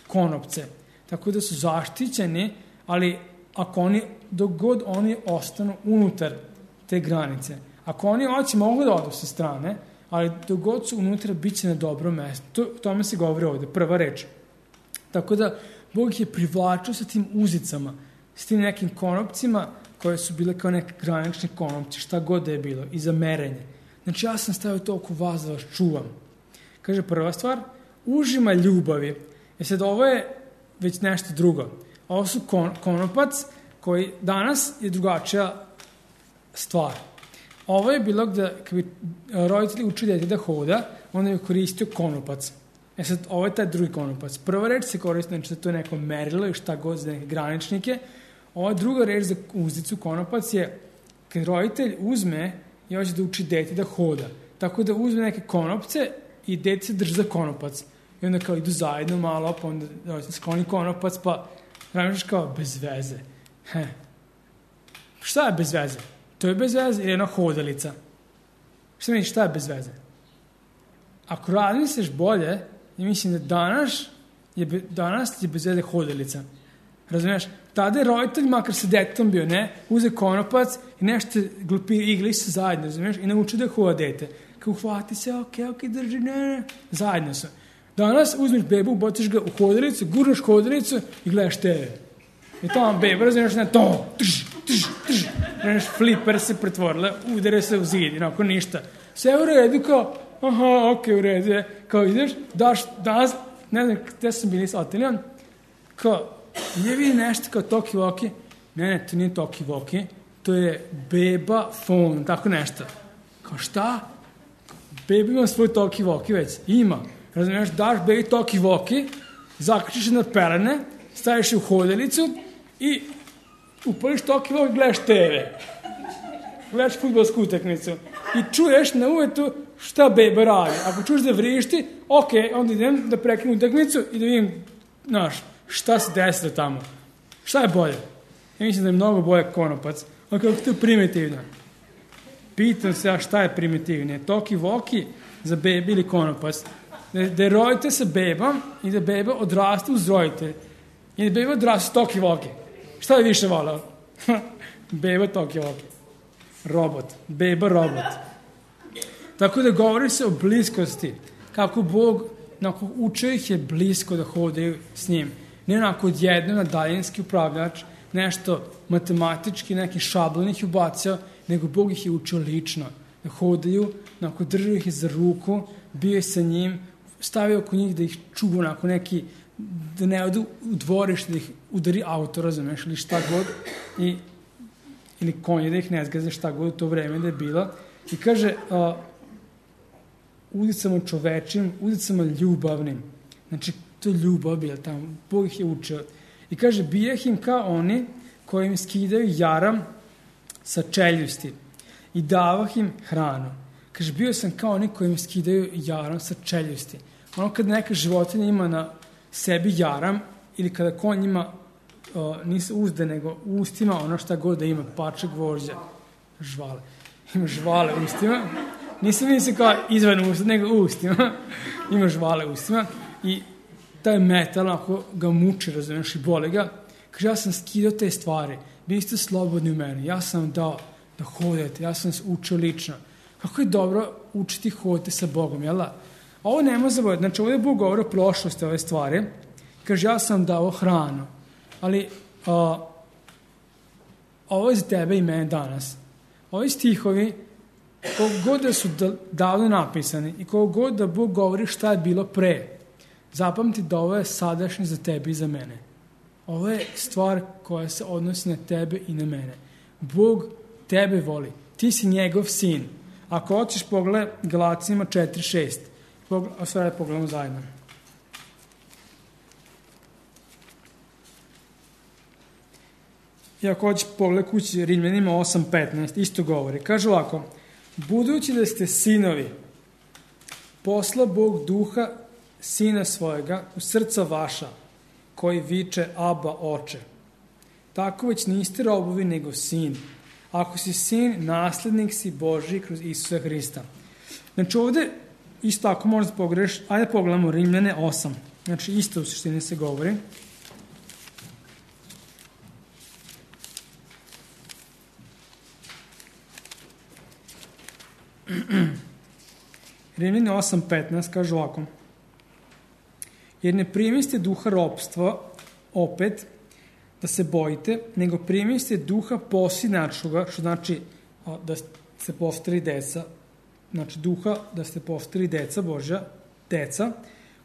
konopce, tako da su zaštićeni, ali ako oni, dok god oni ostanu unutar te granice, ako oni hoće mogu da odu sa strane, ali dok god su unutra, bit će na dobro mesto. To, tome se govori ovdje, prva reč. Tako da, Bog ih je privlačio sa tim uzicama, s tim nekim konopcima, koje su bile kao neke granične konopci, šta god da je bilo, i za merenje. Znači, ja sam stavio to oko vas da vas čuvam. Kaže, prva stvar, užima ljubavi. E sad, ovo je već nešto drugo. Ovo su kon, konopac, koji danas je drugačija stvar. Ovo je bilo gde, kad bi roditelji učili dete da hoda, onda je koristio konopac. E sad, ovo je taj drugi konopac. Prva reč se koristi, znači to je neko merilo i šta god za neke graničnike. Ova druga reč za uzicu konopac je kad roditelj uzme i hoće da uči dete da hoda. Tako da uzme neke konopce i dete se drži za konopac. I onda kao idu zajedno malo, pa onda roditelj skloni konopac, pa razmišljaš kao bez veze. He. Šta je bez veze? To je bez veze ili jedna hodalica. Šta misliš, šta je bez veze? Ako razmisliš bolje, ja mislim da danas je, be, danas je bez veze hodalica. Razumiješ? Tada je roditelj, makar se detetom bio, ne, uze konopac i nešto glupi igli se zajedno, razumiješ? I nauči da hoda dete. Kao hvati se, ok, ok, drži, ne, ne, zajedno su. Danas uzmeš bebu, botiš ga u hodalicu, gurneš hodalicu i gledaš te ve. I tamo beba, razumiješ, ne, to, trž, trž, trž. Razumiješ, fliper se pretvorila, udere se u zid, inako ništa. Sve u redu, kao, aha, ok, u redu je. Kao ideš, daš, danas, ne znam, gde sam bili s Otelijom, kao, je vidi nešto kao Toki Voki? Ne, ne, to nije Toki Voki, to je beba phone, tako nešto. Kao šta? Beba ima svoj Toki Voki već, ima. Razumiješ, daš bebi Toki Voki, zaključiš na pelene, staviš je u hodalicu i upališ Toki Voki, gledaš te ve. Gledaš fudbalsku utakmicu i čuješ na uvetu šta beba radi. Ako čuješ da vrišti, ok, onda idem da prekinem utakmicu i da vidim, znaš, šta se desilo tamo. Šta je bolje? Ja mislim da je mnogo bolje konopac. A kako to je primitivno? Pitam se ja šta je primitivnije. Toki Voki za bebi ili konopac? Da, da je rodite sa bebom i da beba odraste uz roditelj. I da beba odraste Toki Voki. Šta je više volao? Beba Toki Voki. Robot. Beba robot. Tako da govori se o bliskosti. Kako Bog onako, učio ih je blisko da hodaju s njim. Ne onako odjedno na daljinski upravljač, nešto matematički, neki šablon ih ubacio, nego Bog ih je učio lično. Da hodaju, onako držao ih je za ruku, bio je sa njim, stavio oko njih da ih čuva onako neki, da ne odu u dvorište, da ih udari auto, razumeš, ili šta god, i, ili konje, da ih ne zgaze, šta god u to vreme da je bilo. I kaže, uh, udicama čovečim, udicama ljubavnim. Znači, to je ljubav bila tamo. Bog ih je učio. I kaže, bijeh im kao oni koji im skidaju jaram sa čeljusti i davah im hranu. Kaže, bio sam kao oni koji im skidaju jaram sa čeljusti. Ono kad neka životinja ima na sebi jaram ili kada konj ima uh, nisu uzde, nego u ustima ono šta god da ima, pače, gvožđa, žvale. imaš žvale u ustima, nisam mislim kao izvan usta, nego u ustima, imaš žvale u ustima i taj metal, ako ga muči, razumiješ, i boli ga, kaže, ja sam skidao te stvari, bili ste slobodni u meni, ja sam dao da hodete, ja sam se učio lično. Kako je dobro učiti hoditi sa Bogom, jel da? Ovo nema zaboraviti, znači ovdje je Bog govori o prošlosti ove stvari, kaže, ja sam dao hranu, ali a, ovo je za tebe i mene danas. Ovi stihovi, koliko god da su davno napisani i koliko god da Bog govori šta je bilo pre, zapamti da ovo je sadašnje za tebe i za mene. Ovo je stvar koja se odnosi na tebe i na mene. Bog tebe voli. Ti si njegov sin. Ako hoćeš pogledaj Galacijima četiri šest. A sve pogledamo zajedno. I ako hoćeš pogledaj kući Rimljanima osam petnaest, isto govori. Kaže ovako, budući da ste sinovi, posla Bog duha sina svojega u srca vaša, koji viče Aba, oče. Tako već niste robovi, nego sin. Ako si sin, naslednik si Božji kroz Isusa Hrista. Znači ovdje, isto ako možda pogreš, ajde pogledamo Rimljane osam. Znači isto u suštini se govori. Rimljane osam petnaest kaže ovako. Jer ne primiste duha ropstva, opet, da se bojite, nego primiste duha posinačnoga, što znači da ste postali deca, znači duha da ste postali deca Božja, deca,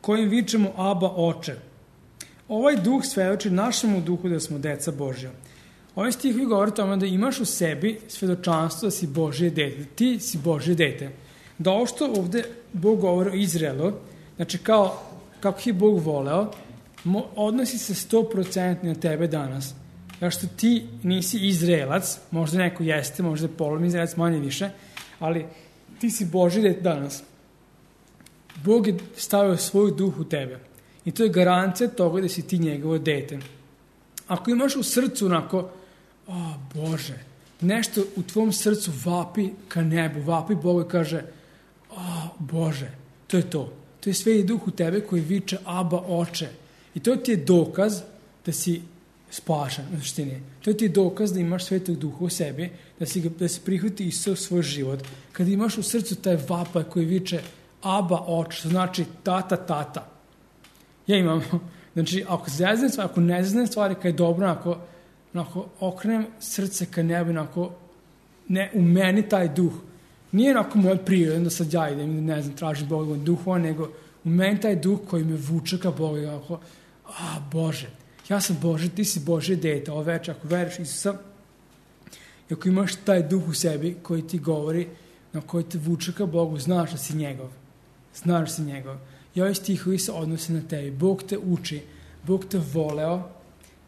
kojim vičemo Aba, oče. Ovaj duh svedoči našemu duhu da smo deca Božja. Ovaj stih vi govori o tome da imaš u sebi svedočanstvo da si Božje dete, ti si Božje dete. Da ovo što ovde Bog govori o Izraelu, znači kao kako je Bog voleo, odnosi se sto posto na tebe danas. Jer što ti nisi Izraelac, možda neko jeste, možda je polovni Izraelac, manje više, ali ti si Božji dete danas. Bog je stavio svoj duh u tebe. I to je garancija toga da si ti njegovo dete. Ako imaš u srcu onako, o Bože, nešto u tvom srcu vapi ka nebu, vapi Bogu i kaže, o Bože, to je to. To je Sveti Duh u tebe koji viče Aba, oče. I to ti je dokaz da si spašan u suštini. To ti je dokaz da imaš Svetog Duha u sebi, da si, da si prihvati Isusa u svoj život. Kad imaš u srcu taj vapaj koji viče Aba, oče, znači tata, tata. Ja imam, znači ako zeznem stvari, ako ne zeznem stvari kad je dobro, ako, ako okrenem srce ka nebu, ako ne, u meni taj duh, nije onako moj prirodan da sad ja idem, ne znam, tražim Boga duhova, nego u meni taj duh koji me vuče ka Bogu, ako, a Bože, ja sam Bože, ti si Božje dete, ovo večer, ako veriš Isusa, i ako imaš taj duh u sebi koji ti govori, na koji te vuče ka Bogu, znaš da si njegov, znaš da si njegov. I ovaj stihovi se odnose na tebi. Bog te uči, Bog te voleo,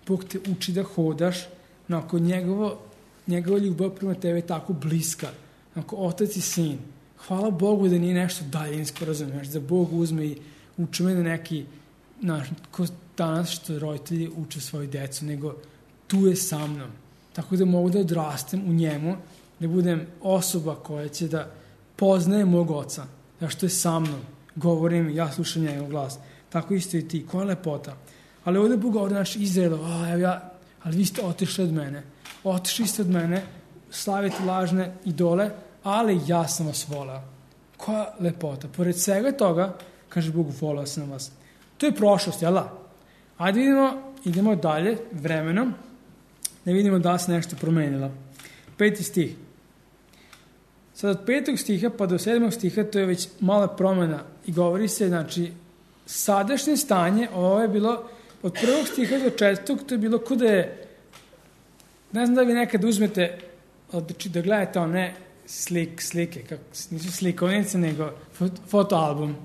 Bog te uči da hodaš, nakon njegovo, njegova ljubav prema tebi je tako bliska, nakon otac i sin. Hvala Bogu da nije nešto daljinsko, razumiješ, da Bog uzme i uči me na neki, znaš, ko danas što roditelji uče svoju decu, nego tu je sa mnom. Tako da mogu da odrastem u njemu, da budem osoba koja će da poznaje mog oca, da što je sa mnom. Govorim, ja slušam njegov glas. Tako isto i ti, koja lepota. Ali ovdje Bog govori, znači, Izraelu, a, evo ja, ali vi ste otišli od mene. Otišli ste od mene, slavite lažne idole, ali ja sam vas voleo. Koja lepota. Pored svega toga, kaže Bog, voleo sam vas. To je prošlost, jel da? Ajde vidimo, idemo dalje, vremenom, da vidimo da se nešto promenilo. Peti stih. Sad od petog stiha pa do sedmog stiha to je već mala promjena i govori se, znači, sadašnje stanje, ovo je bilo, od prvog stiha do četvrtog, to je bilo kuda je, ne znam da vi nekad uzmete, znači da gledate one slik, slike, kako, nisu slikovnice, nego fot, fotoalbum.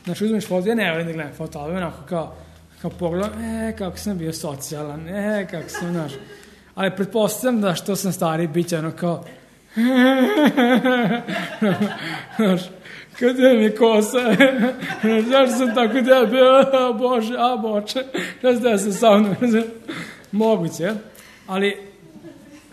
Znači uzmeš foto, ja ne volim da gledam fotoalbum, onako kao, kao pogledam, e, kako sam bio socijalan, e, kako sam, znaš, ali pretpostavljam da što sam stari, bit će ono kao, znaš, kada je mi kosa, zašto sam tako debel, a Bože, a Boče, ne znam da sam sa mnom, moguće, ali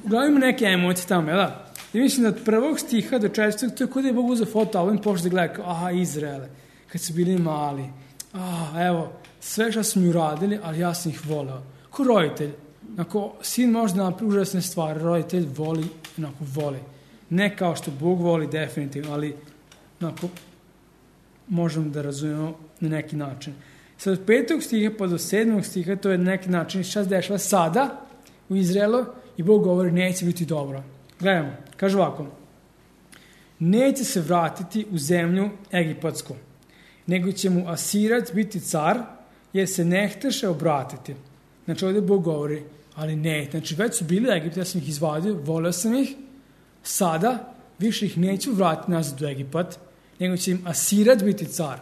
uglavnom ima neke emocije tamo, jel da? I mislim da od prvog stiha do četvrtog, to je kod je Bog uzeo fotoalbum i počeo da gleda kao, aha, Izraele, kad su bili mali, a, evo, sve što su mi uradili, ali ja sam ih voleo. Ko roditelj, ako sin može da napravi užasne stvari, roditelj voli, onako voli. Ne kao što Bog voli definitivno, ali onako možemo da razumemo na neki način. Sad od petog stiha pa do sedmog stiha, to je na neki način šta se dešava sada u Izraelu i Bog govori neće biti dobro. Gledamo, kaže ovako, neće se vratiti u zemlju egipatsku, nego će mu Asirac biti car, jer se ne htaše obratiti. Znači ovdje Bog govori, ali ne, znači već su bili u Egiptu, ja sam ih izvadio, volio sam ih, sada više ih neću vratiti nazad u Egipat, nego će im Asirac biti car.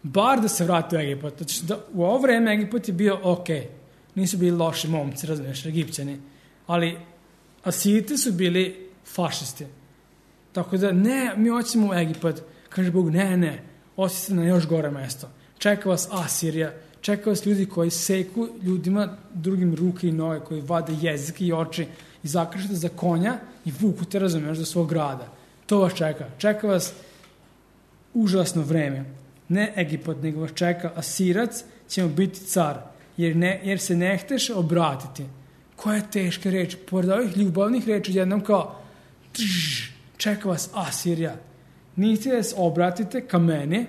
Bar da se vrati u Egipat. Znači da u ovo vreme Egipat je bio ok, nisu bili loši momci, razumiješ, Egipćani, ali Asirci su bili fašisti. Tako da ne, mi hoćemo u Egipat. Kaže Bog, ne, ne, osjeti na još gore mesto. Čeka vas Asirija, čeka vas ljudi koji seku ljudima drugim ruke i noge, koji vade jezik i oči i zakršite za konja i vuku te, razumiješ, do svog grada. To vas čeka. Čeka vas užasno vreme. Ne Egipat, nego vas čeka Asirac, će mu biti car, jer, ne, jer se ne hteš obratiti. Koja je teška reč? Pored ovih ljubavnih reči jednom kao tž, čeka vas Asirija. Niste da se obratite ka meni,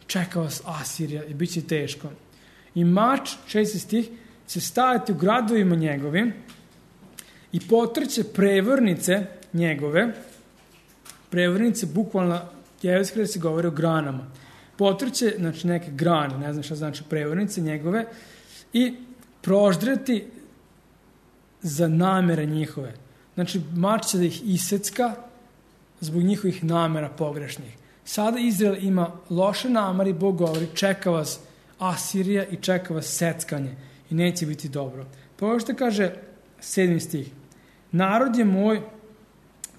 čeka vas Asirija i bit će teško. I mač, šesti stih, će staviti u gradovima njegovim i potrće prevrnice njegove. Prevrnice, bukvalno, jevrejski da se govori o granama. Potrće, znači neke grane, ne znam šta znači prevrnice njegove, i proždreti za namere njihove. Znači, mač će da ih isecka zbog njihovih namera pogrešnih. Sada Izrael ima loše namere i Bog govori, čeka vas Asirija i čeka vas seckanje i neće biti dobro. Pa ovo što kaže sedmi stih. Narod je moj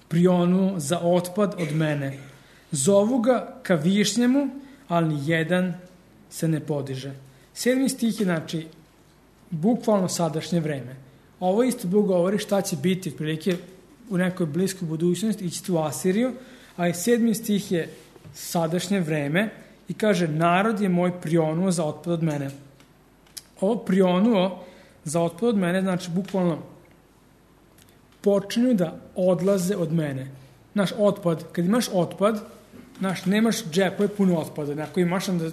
prionuo za otpad od mene. Zovu ga ka višnjemu, ali ni jedan se ne podiže. Sedmi stih je, znači, bukvalno sadašnje vreme. Ovo isto Bog govori šta će biti, otprilike u nekoj bliskoj budućnosti, ići u Asiriju, a i sedmi stih je sadašnje vreme i kaže, narod je moj prionuo za otpad od mene. Ovo prionuo za otpad od mene, znači bukvalno počinju da odlaze od mene. Naš otpad, kad imaš otpad, znaš, nemaš džepove puno otpada, ako imaš onda,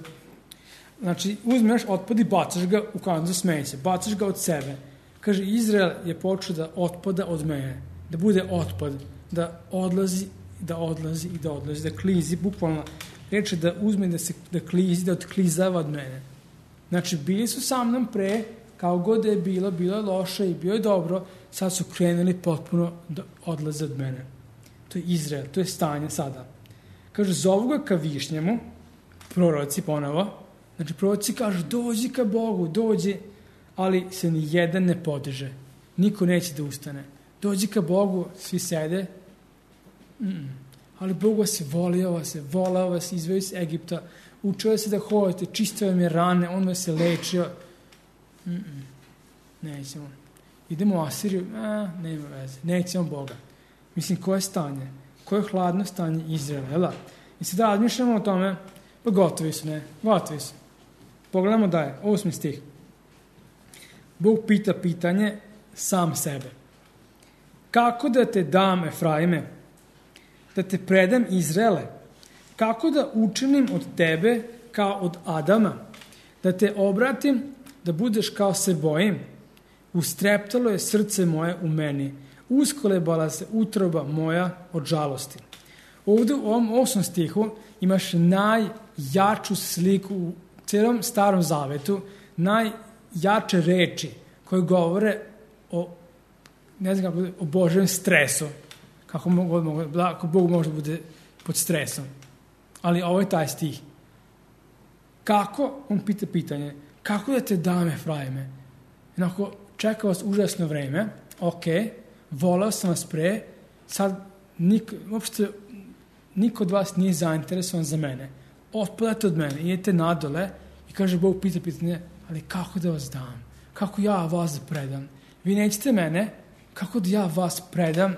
znači, uzmeš otpad i bacaš ga u kantu za smeće, bacaš ga od sebe. Kaže, Izrael je počeo da otpada od mene, da bude otpad, da odlazi, da odlazi i da odlazi, da klizi, bukvalno reče da uzme, da se da klizi, da otklizava od mene. Znači, bili su sa mnom pre, kao god da je bilo, bilo je loše i bilo je dobro, sad su krenuli potpuno da odlaze od mene. To je Izrael, to je stanje sada. Kaže, zovu ga ka višnjemu, proroci ponovo, znači proroci kažu, dođi ka Bogu, dođi, ali se ni jedan ne podiže. Niko neće da ustane. Dođi ka Bogu, svi sede, mm. ali Bog vas je volio, vas je volao, vas izveo iz Egipta, učio se da hodite, čistio vam je rane, on vas je lečio. Mm-mm. Nećemo. Idemo u Asiriju, a, nema veze, nećemo Boga. Mislim, koje stanje? Koje hladno stanje Izraela, jel da? I sad da razmišljamo o tome, pa gotovi su, ne? Gotovi su. Pogledamo da je, osmi stih. Bog pita pitanje sam sebe. Kako da te dam, Efraime? Da te predam Izraele? Kako da učinim od tebe kao od Adama? Da te obratim, da budeš kao se bojim? Ustreptalo je srce moje u meni. Uskolebala se utroba moja od žalosti. Ovdje u ovom osmom stihu imaš najjaču sliku u cijelom Starom Zavetu, najjače reči koje govore o, ne znam kako, o Božjem stresu. Kako, mogu, kako Bog može da bude pod stresom. Ali ovo je taj stih. Kako, on pita pitanje, kako da te dam, Efraime? Jednako, čeka vas užasno vreme, ok, volao sam vas pre, sad niko, uopšte niko od vas nije zainteresovan za mene. Otpadate od mene, idete nadole i kaže Bog pita pitanje, ali kako da vas dam? Kako ja vas predam? Vi nećete mene, kako da ja vas predam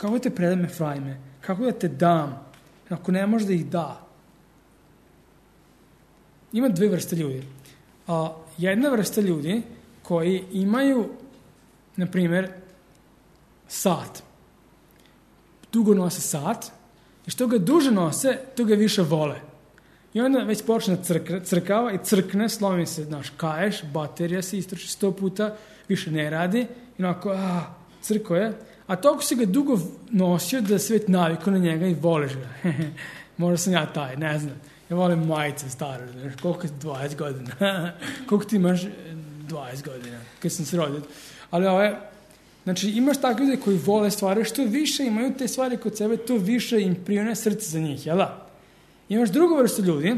kako te predam Efraime, kako da te dam, ako ne može da ih da. Ima dve vrste ljudi. A, jedna vrsta ljudi koji imaju, na primjer, sat. Dugo nose sat i što ga duže nose, to ga više vole. I onda već počne crkra, crkava i crkne, slomi se, znaš, kaješ, baterija se istroši sto puta, više ne radi i onako, a, crko je. A toliko si ga dugo nosio da svet naviko na njega i voliš ga. Možda sam ja taj, ne znam. Ja volim majice stare, znaš, koliko je dvadeset godina. Koliko ti imaš dvadeset godina, kad sam se rodio. Ali ove, znači imaš takve ljudi koji vole stvari, što više imaju te stvari kod sebe, to više im prijone srce za njih, jel da? Imaš drugu vrstu ljudi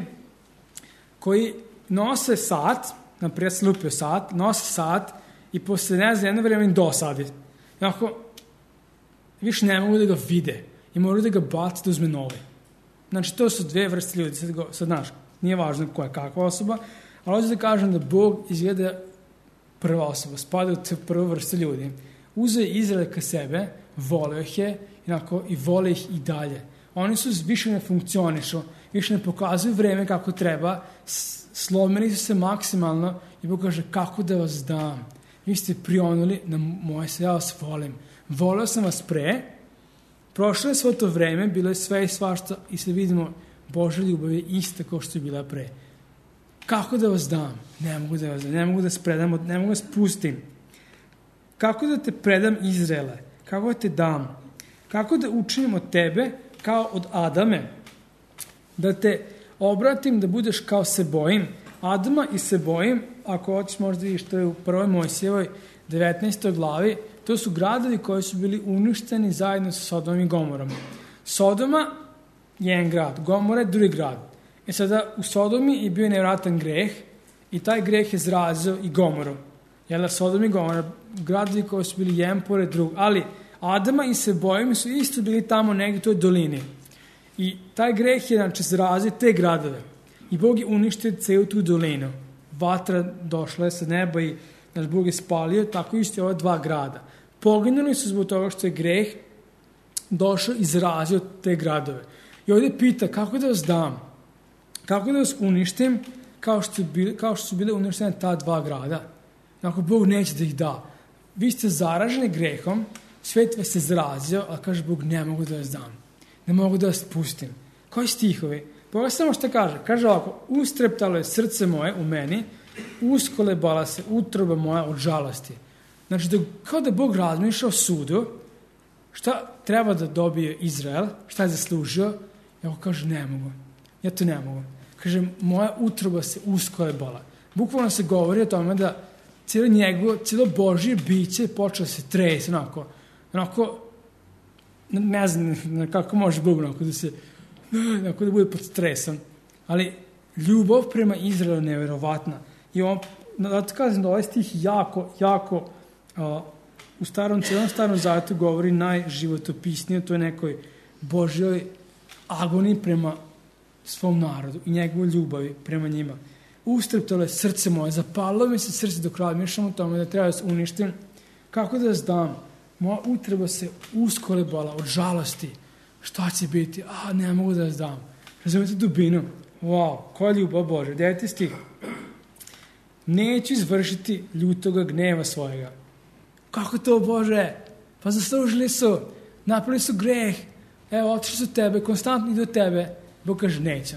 koji nose sat, naprijed se lupio sat, nose sat i posle ne znam jedno vreme im dosadi. Jako, više ne mogu da ga vide i moraju da ga baci da uzme novi. Znači, to su dve vrste ljudi. Sad, go, sad znaš, nije važno koja je kakva osoba, ali hoću da kažem da Bog izgleda prva osoba, spada u te prvu vrstu ljudi. Uzeo je Izrael ka sebe, voleo ih je inako, i vole ih i dalje. Oni su više ne funkcionišu, više ne pokazuju vreme kako treba, slomili su se maksimalno i Bog kaže kako da vas dam. Vi ste prionuli na moje se, ja vas volim. Voleo sam vas pre, prošlo je svo to vreme, bilo je sve i svašta i se vidimo Božja ljubav je ista kao što je bila pre. Kako da vas dam? Ne mogu da vas dam, ne mogu da spredam, ne mogu da spustim. Kako da te predam Izraele? Kako da te dam? Kako da učinim od tebe kao od Adame? Da te obratim da budeš kao se bojim. Adama i se bojim, ako hoćeš možda vidiš, to je u prvoj Mojsijevoj devetnaestoj glavi, to su gradovi koji su bili uništeni zajedno sa Sodomom i Gomorom. Sodoma je jedan grad, Gomora je drugi grad. E sada u Sodomi je bio nevratan greh i taj greh je zrazio i Gomoru. Jel, Sodom i Gomora, gradovi koji su bili jedan pored drug, ali Adama i Sebojim su isto bili tamo negdje u toj dolini. I taj greh je, znači, zrazio te gradove. I Bog je uništio celu tu dolinu. Vatra došla je sa neba i znači, Bog je spalio, tako isto je ova dva grada. Poginuli su zbog toga što je greh došao i zrazio te gradove. I ovdje pita kako da vas dam, kako da vas uništim kao što, bili, kao što su bile uništene ta dva grada. Ako Bog neće da ih da. Vi ste zaraženi grehom, svet vas se zrazio, a kaže Bog ne mogu da vas dam. Ne mogu da vas pustim. Koji stihovi? Boga samo što kaže. Kaže ovako, ustreptalo je srce moje u meni, uskolebala se utroba moja od žalosti. Znači, da, kao da Bog razmišlja o sudu, šta treba da dobije Izrael, šta je zaslužio, i ako kaže, ne mogu. Ja to ne mogu. Kaže, moja utroba se uskolebala. Bukvalno se govori o tome da cijelo njegovo, cijelo Božje biće počeo se tresi, onako, onako, ne znam kako može Bog, onako da se, onako da bude pod stresom. Ali ljubav prema Izraelu je nevjerovatna. I on, da to kažem da ovaj stih jako, jako, uh, u starom, cijelom starom zavetu govori najživotopisnije, to je nekoj Božjoj agoniji prema svom narodu i njegovoj ljubavi prema njima. Ustreptalo je srce moje, zapalilo mi se srce dok razmišljam o tome da treba da se uništim. Kako da vas dam? Moja utreba se uskolebala od žalosti. Šta će biti? A, ne mogu da vas dam. Razumite dubinu? Wow, koja ljubav Bože. Deveti stih. Neću izvršiti ljutoga gneva svojega. Kako to, Bože? Pa zaslužili su. Napravili su greh. Evo, otišli su tebe, konstantno idu tebe. Bog kaže, neće.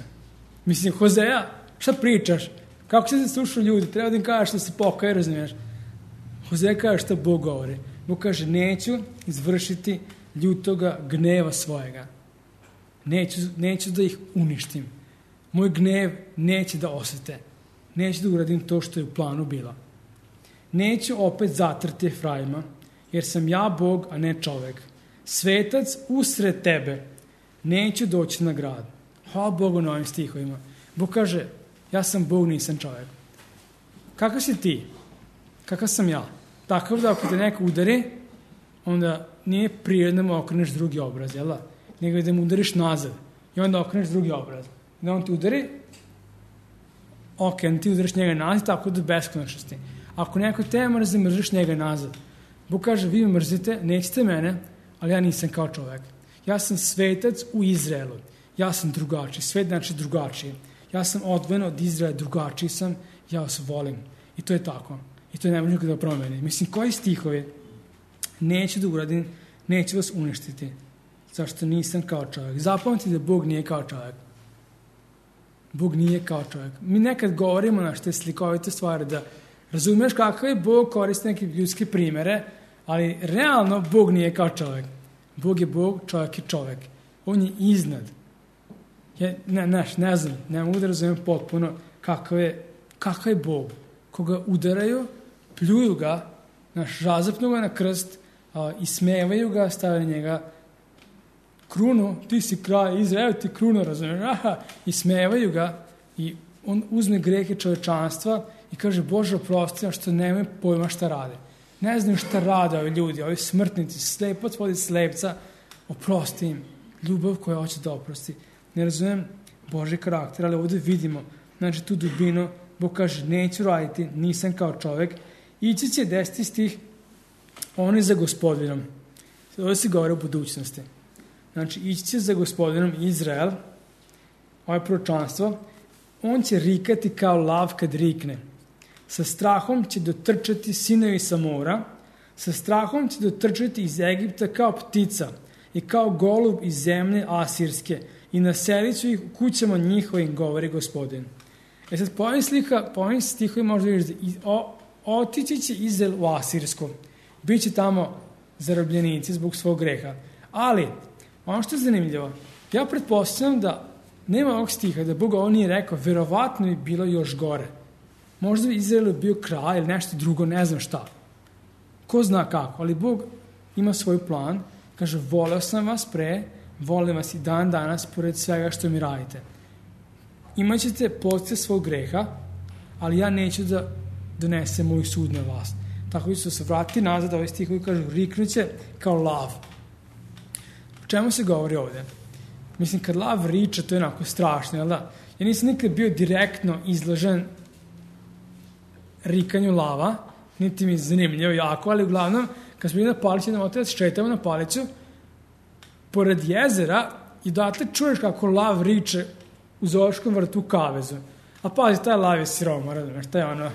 Mislim, Hozeja, šta pričaš? Kako se slušaju ljudi? Treba da im kažeš da se pokaje, razumiješ? Hozeja kaže šta Bog govori. Bog kaže, neću izvršiti ljutoga gneva svojega. Neću, neću da ih uništim. Moj gnev neće da osete. Neću da uradim to što je u planu bila. Neću opet zatrti Efraima, jer sam ja Bog, a ne čovek. Svetac usred tebe. Neću doći na grad. Hvala Bogu na ovim stihovima. Bog kaže, ja sam Bog, nisam čovjek. Kakav si ti? Kakav sam ja? Takav da ako te neko udari, onda nije prirodno da mu okreneš drugi obraz, jel da? Nego da mu udariš nazad i onda okreneš drugi obraz. Da on ti udari, ok, onda ti udariš njega nazad, tako do beskonačnosti. Ako neko te mrzi, mrziš njega nazad. Bog kaže, vi me mrzite, nećete mene, ali ja nisam kao čovek. Ja sam svetac u Izraelu. Ja sam drugačiji. Svet znači drugačiji. Ja sam odvojen od Izraela, drugačiji sam, ja vas volim. I to je tako. I to ne može nikada da promeni. Mislim, koji stihovi neću da uradim, neću vas uništiti. Zašto nisam kao čovjek. Zapamtite da Bog nije kao čovjek. Bog nije kao čovjek. Mi nekad govorimo na te slikovite stvari da razumeš kakav je Bog, koristi neke ljudske primere, ali realno Bog nije kao čovjek. Bog je Bog, čovjek je čovjek. On je iznad. Ja, ne, ne, ne znam, ne mogu da razumijem potpuno kakav je, kakav je Bog. Koga udaraju, pljuju ga, naš, razapnu ga na krst, a, ismevaju ga, stavljaju njega krunu, ti si kralj Izrael, ti krunu, razumiješ, aha, ismevaju ga i on uzme grehe čovečanstva i kaže, Bože, oprosti, a što nemaju pojma šta rade. Ne znaju šta rade ovi ljudi, ovi smrtnici, slepac vodi slepca, oprosti im. Ljubav koja hoće da oprosti. Ne razumijem Božji karakter, ali ovdje vidimo, znači tu dubinu, Bog kaže, neću raditi, nisam kao čovjek. Ići će deseti stih, on je za gospodinom. Ovdje se govori o budućnosti. Znači, ići će za gospodinom Izrael, ovo je proročanstvo, on će rikati kao lav kad rikne. Sa strahom će dotrčati sinovi sa mora, sa strahom će dotrčati iz Egipta kao ptica i kao golub iz zemlje asirske i naselit ću ih u kućama njihovim, govori gospodin. E sad, po ovim, slika, po ovim stihovi možda vidiš da otići će Izrael u Asirsko. Biće tamo zarobljenici zbog svog greha. Ali, ono što je zanimljivo, ja pretpostavljam da nema ovog stiha, da Bog ovo nije rekao, verovatno bi bilo još gore. Možda bi Izrael bio kraj ili nešto drugo, ne znam šta. Ko zna kako, ali Bog ima svoj plan, kaže, voleo sam vas pre, volim vas i dan danas, pored svega što mi radite. Imat ćete posljedice svog greha, ali ja neću da donesem moj sud na vas. Tako ću se vratiti nazad, ovaj stih koji kažu, riknuće kao lav. O čemu se govori ovdje? Mislim, kad lav riče, to je onako strašno, jel da? Ja nisam nikad bio direktno izložen rikanju lava, niti mi je zanimljivo jako, ali uglavnom, kad smo bili na palici, idemo otac, šetamo na palicu, pored jezera, i dotle čuješ kako lav riče u zoološkom vrtu u kavezu. A pazi, taj lav je siroma, razumiješ, taj ono,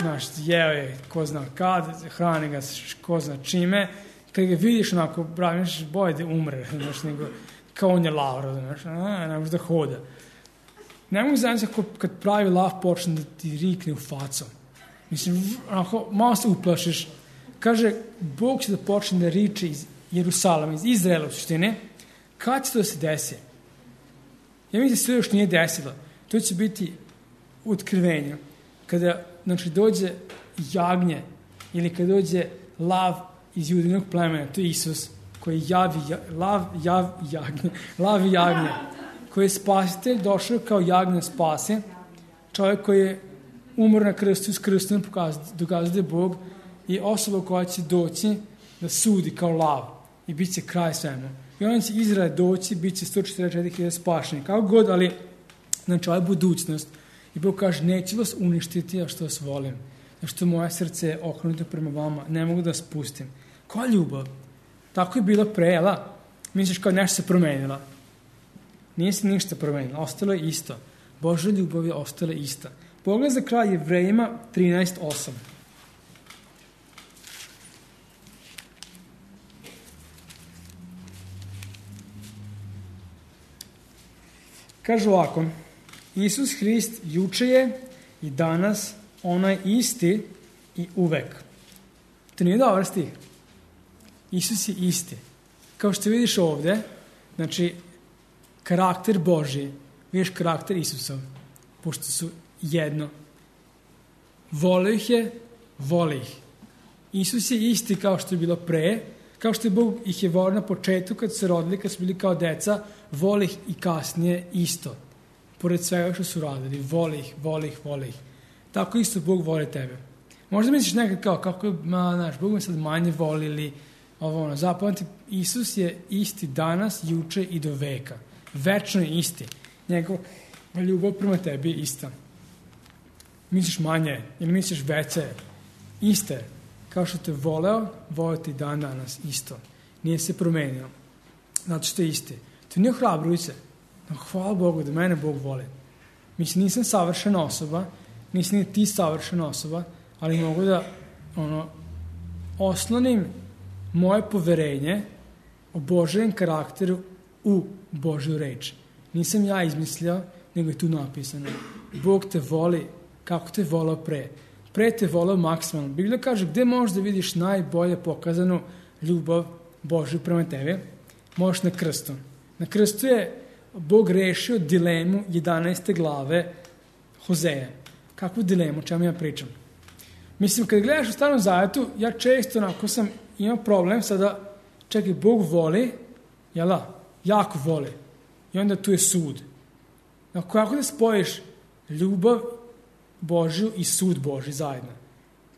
znaš, jeo je, ko zna kad, hrani ga, ko zna čime, kad ga vidiš onako, braviš, boje da umre, znaš, nego, kao on je lav, razumiješ, a, ne može da hoda. Ne mogu znači kad pravi lav počne da ti rikne u facu. Mislim, onako, malo se uplašiš. Kaže, Bog će da počne da riče iz Jerusalama, iz Izraela u suštine. Kad će to da se desi? Ja mislim da se još nije desilo. To će biti otkrivenje. Kada, znači, dođe jagnje ili kada dođe lav iz judinog plemena, to je Isus, koji javi, lav, jav, jagnje, lav i jagnje, koji je spasitelj, došao kao jagnje spase, čovjek koji je umro na krstu s krstom, dokazuje da je Bog i osoba koja će doći da sudi kao lav i bit će kraj svemu. I on će Izrael doći, bit će sto četrdeset četiri hiljade spašeni. Kako god, ali znači ovo je budućnost. I Bog kaže, neću vas uništiti, a što vas volim. Zašto moje srce je okrenuto prema vama, ne mogu da vas pustim. Koja ljubav? Tako je bilo pre, jela? Misliš kao nešto se promenila. Nije se ništa promenilo, ostalo je isto. Božja ljubav je ostala ista. Pogled za kraj Jevrejima trinaest osam. Kaže ovako, Isus Hrist juče je i danas onaj isti i uvek. To nije dobar stih. Isus je isti. Kao što vidiš ovdje, znači, karakter Božji, vidiš karakter Isusov, pošto su jedno. Vole ih je, voli ih. Isus je isti kao što je bilo pre, kao što je Bog ih je volio na početku kad su se rodili, kad su bili kao deca, voli ih i kasnije isto. Pored svega što su radili, voli ih, voli ih, voli ih. Tako isto Bog voli tebe. Možda misliš nekad kao, kako je, ma, znaš, Bog me sad manje voli ili ovo ono. Zapamati, Isus je isti danas, juče i do veka. Večno je isti. Njegov ljubav prema tebi je ista. Misliš manje ili misliš veće, iste. Kao što te voleo, voleo ti dan danas isto. nije se promenio. Zato što je isti. To nije ohrabrujuće. Hvala Bogu da mene Bog voli. Mislim, nisam savršena osoba, nisam ni ti savršena osoba, ali mogu da ono, oslonim moje poverenje o Božjem karakteru u Božju reč. Nisam ja izmislio, nego je tu napisano. Bog te voli kako te volao pre. Pre te volao maksimalno. Biblija kaže, gde možeš da vidiš najbolje pokazanu ljubav Božju prema tebi? Možeš na krstu. Na krstu je Bog rešio dilemu jedanaeste glave Hozeja. Kakvu dilemu, o čemu ja pričam? Mislim, kad gledaš u Starom Zavetu, ja često onako sam imao problem sada, čekaj, Bog voli, jel da? Jako voli. I onda tu je sud. Ako kako da spojiš ljubav Božju i sud Božji zajedno?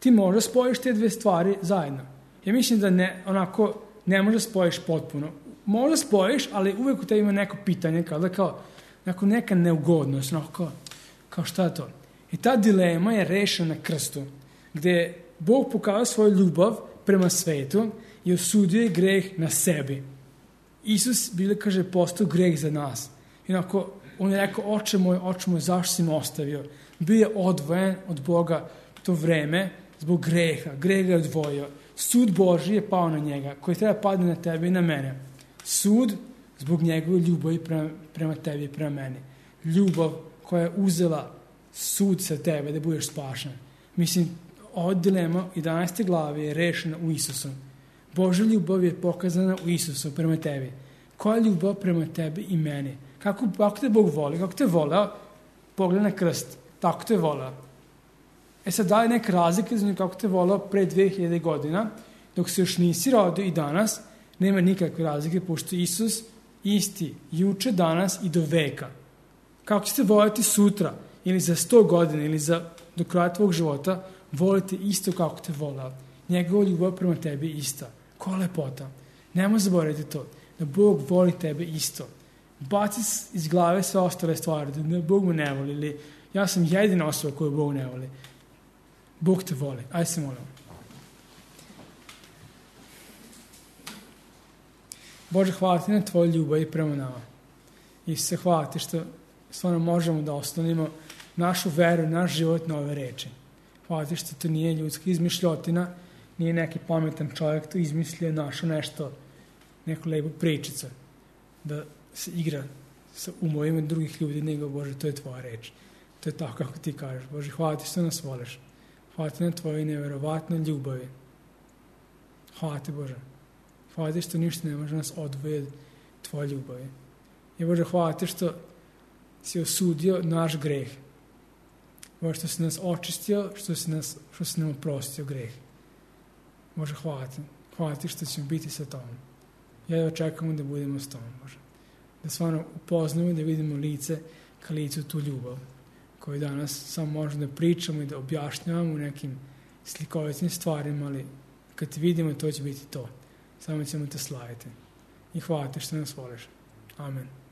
Ti možda spojiš te dve stvari zajedno. Ja mislim da ne, onako, ne možda spojiš potpuno. Možda spojiš, ali uvek u tebi ima neko pitanje, kao da kao, neko neka neugodnost, onako kao, kao šta je to? I ta dilema je rešena na krstu, gde Bog pokazao svoju ljubav prema svetu i osudio je greh na sebi. Isus, Biblija kaže, postao greh za nas. I onako, on je rekao, oče moj, oče moj, zašto si me ostavio? Bio je odvojen od Boga to vreme zbog greha. Greh ga je odvojio. Sud Božji je pao na njega, koji treba padne na tebe i na mene. Sud zbog njegove ljubavi prema, prema tebi i prema meni. Ljubav koja je uzela sud sa tebe da budeš spašen. Mislim, ova dilema jedanaeste glave je rešena u Isusu. Božja ljubav je pokazana u Isusu prema tebi. Koja je ljubav prema tebi i meni? Kako, kako te Bog voli? Kako te voleo? Pogled na krst. Tako te voleo. E sad, da li neka razlika za nju kako te voleo pre dve hiljade godina, dok se još nisi rodio i danas, nema nikakve razlike, pošto Isus isti juče, danas i do veka. Kako ćete voljeti sutra, ili za sto godina, ili za do kraja tvog života, volite isto kako te voleo. Njegova ljubav prema tebi ista. Koja lepota. Nemoj zaboraviti to, da Bog voli tebe isto. Baci iz glave sve ostale stvari, da Bog me ne voli, ili ja sam jedina osoba koju Bog ne voli. Bog te voli. Ajde se molimo. Bože, hvala ti na tvoju ljubav i prema nama. I se hvala ti što stvarno možemo da oslonimo našu veru, naš život na ove reči. Hvala ti što to nije ljudska izmišljotina, nije neki pametan čovjek to izmislio, našao nešto, neku lepu pričicu, da se igra sa umovima drugih ljudi, nego Bože, to je tvoja reč. To je tako kako ti kažeš. Bože, hvala ti što nas voliš. Hvala ti na tvojoj neverovatnoj ljubavi. Hvala ti, Bože. Hvala ti što ništa ne može nas odvojiti tvoje ljubavi. I Bože, hvala ti što si osudio naš greh. Bože, što si nas očistio, što si, nas, što si nam oprostio greh. Bože, hvala ti. Hvala ti što ćemo biti sa tobom. Ja da očekamo da budemo s tobom, Bože. Da stvarno upoznamo i da vidimo lice ka licu tu ljubav koju danas samo možemo da pričamo i da objašnjavamo u nekim slikovitim stvarima, ali kad ti vidimo, to će biti to. Samo ćemo te slaviti. I hvala ti što nas voliš. Amen.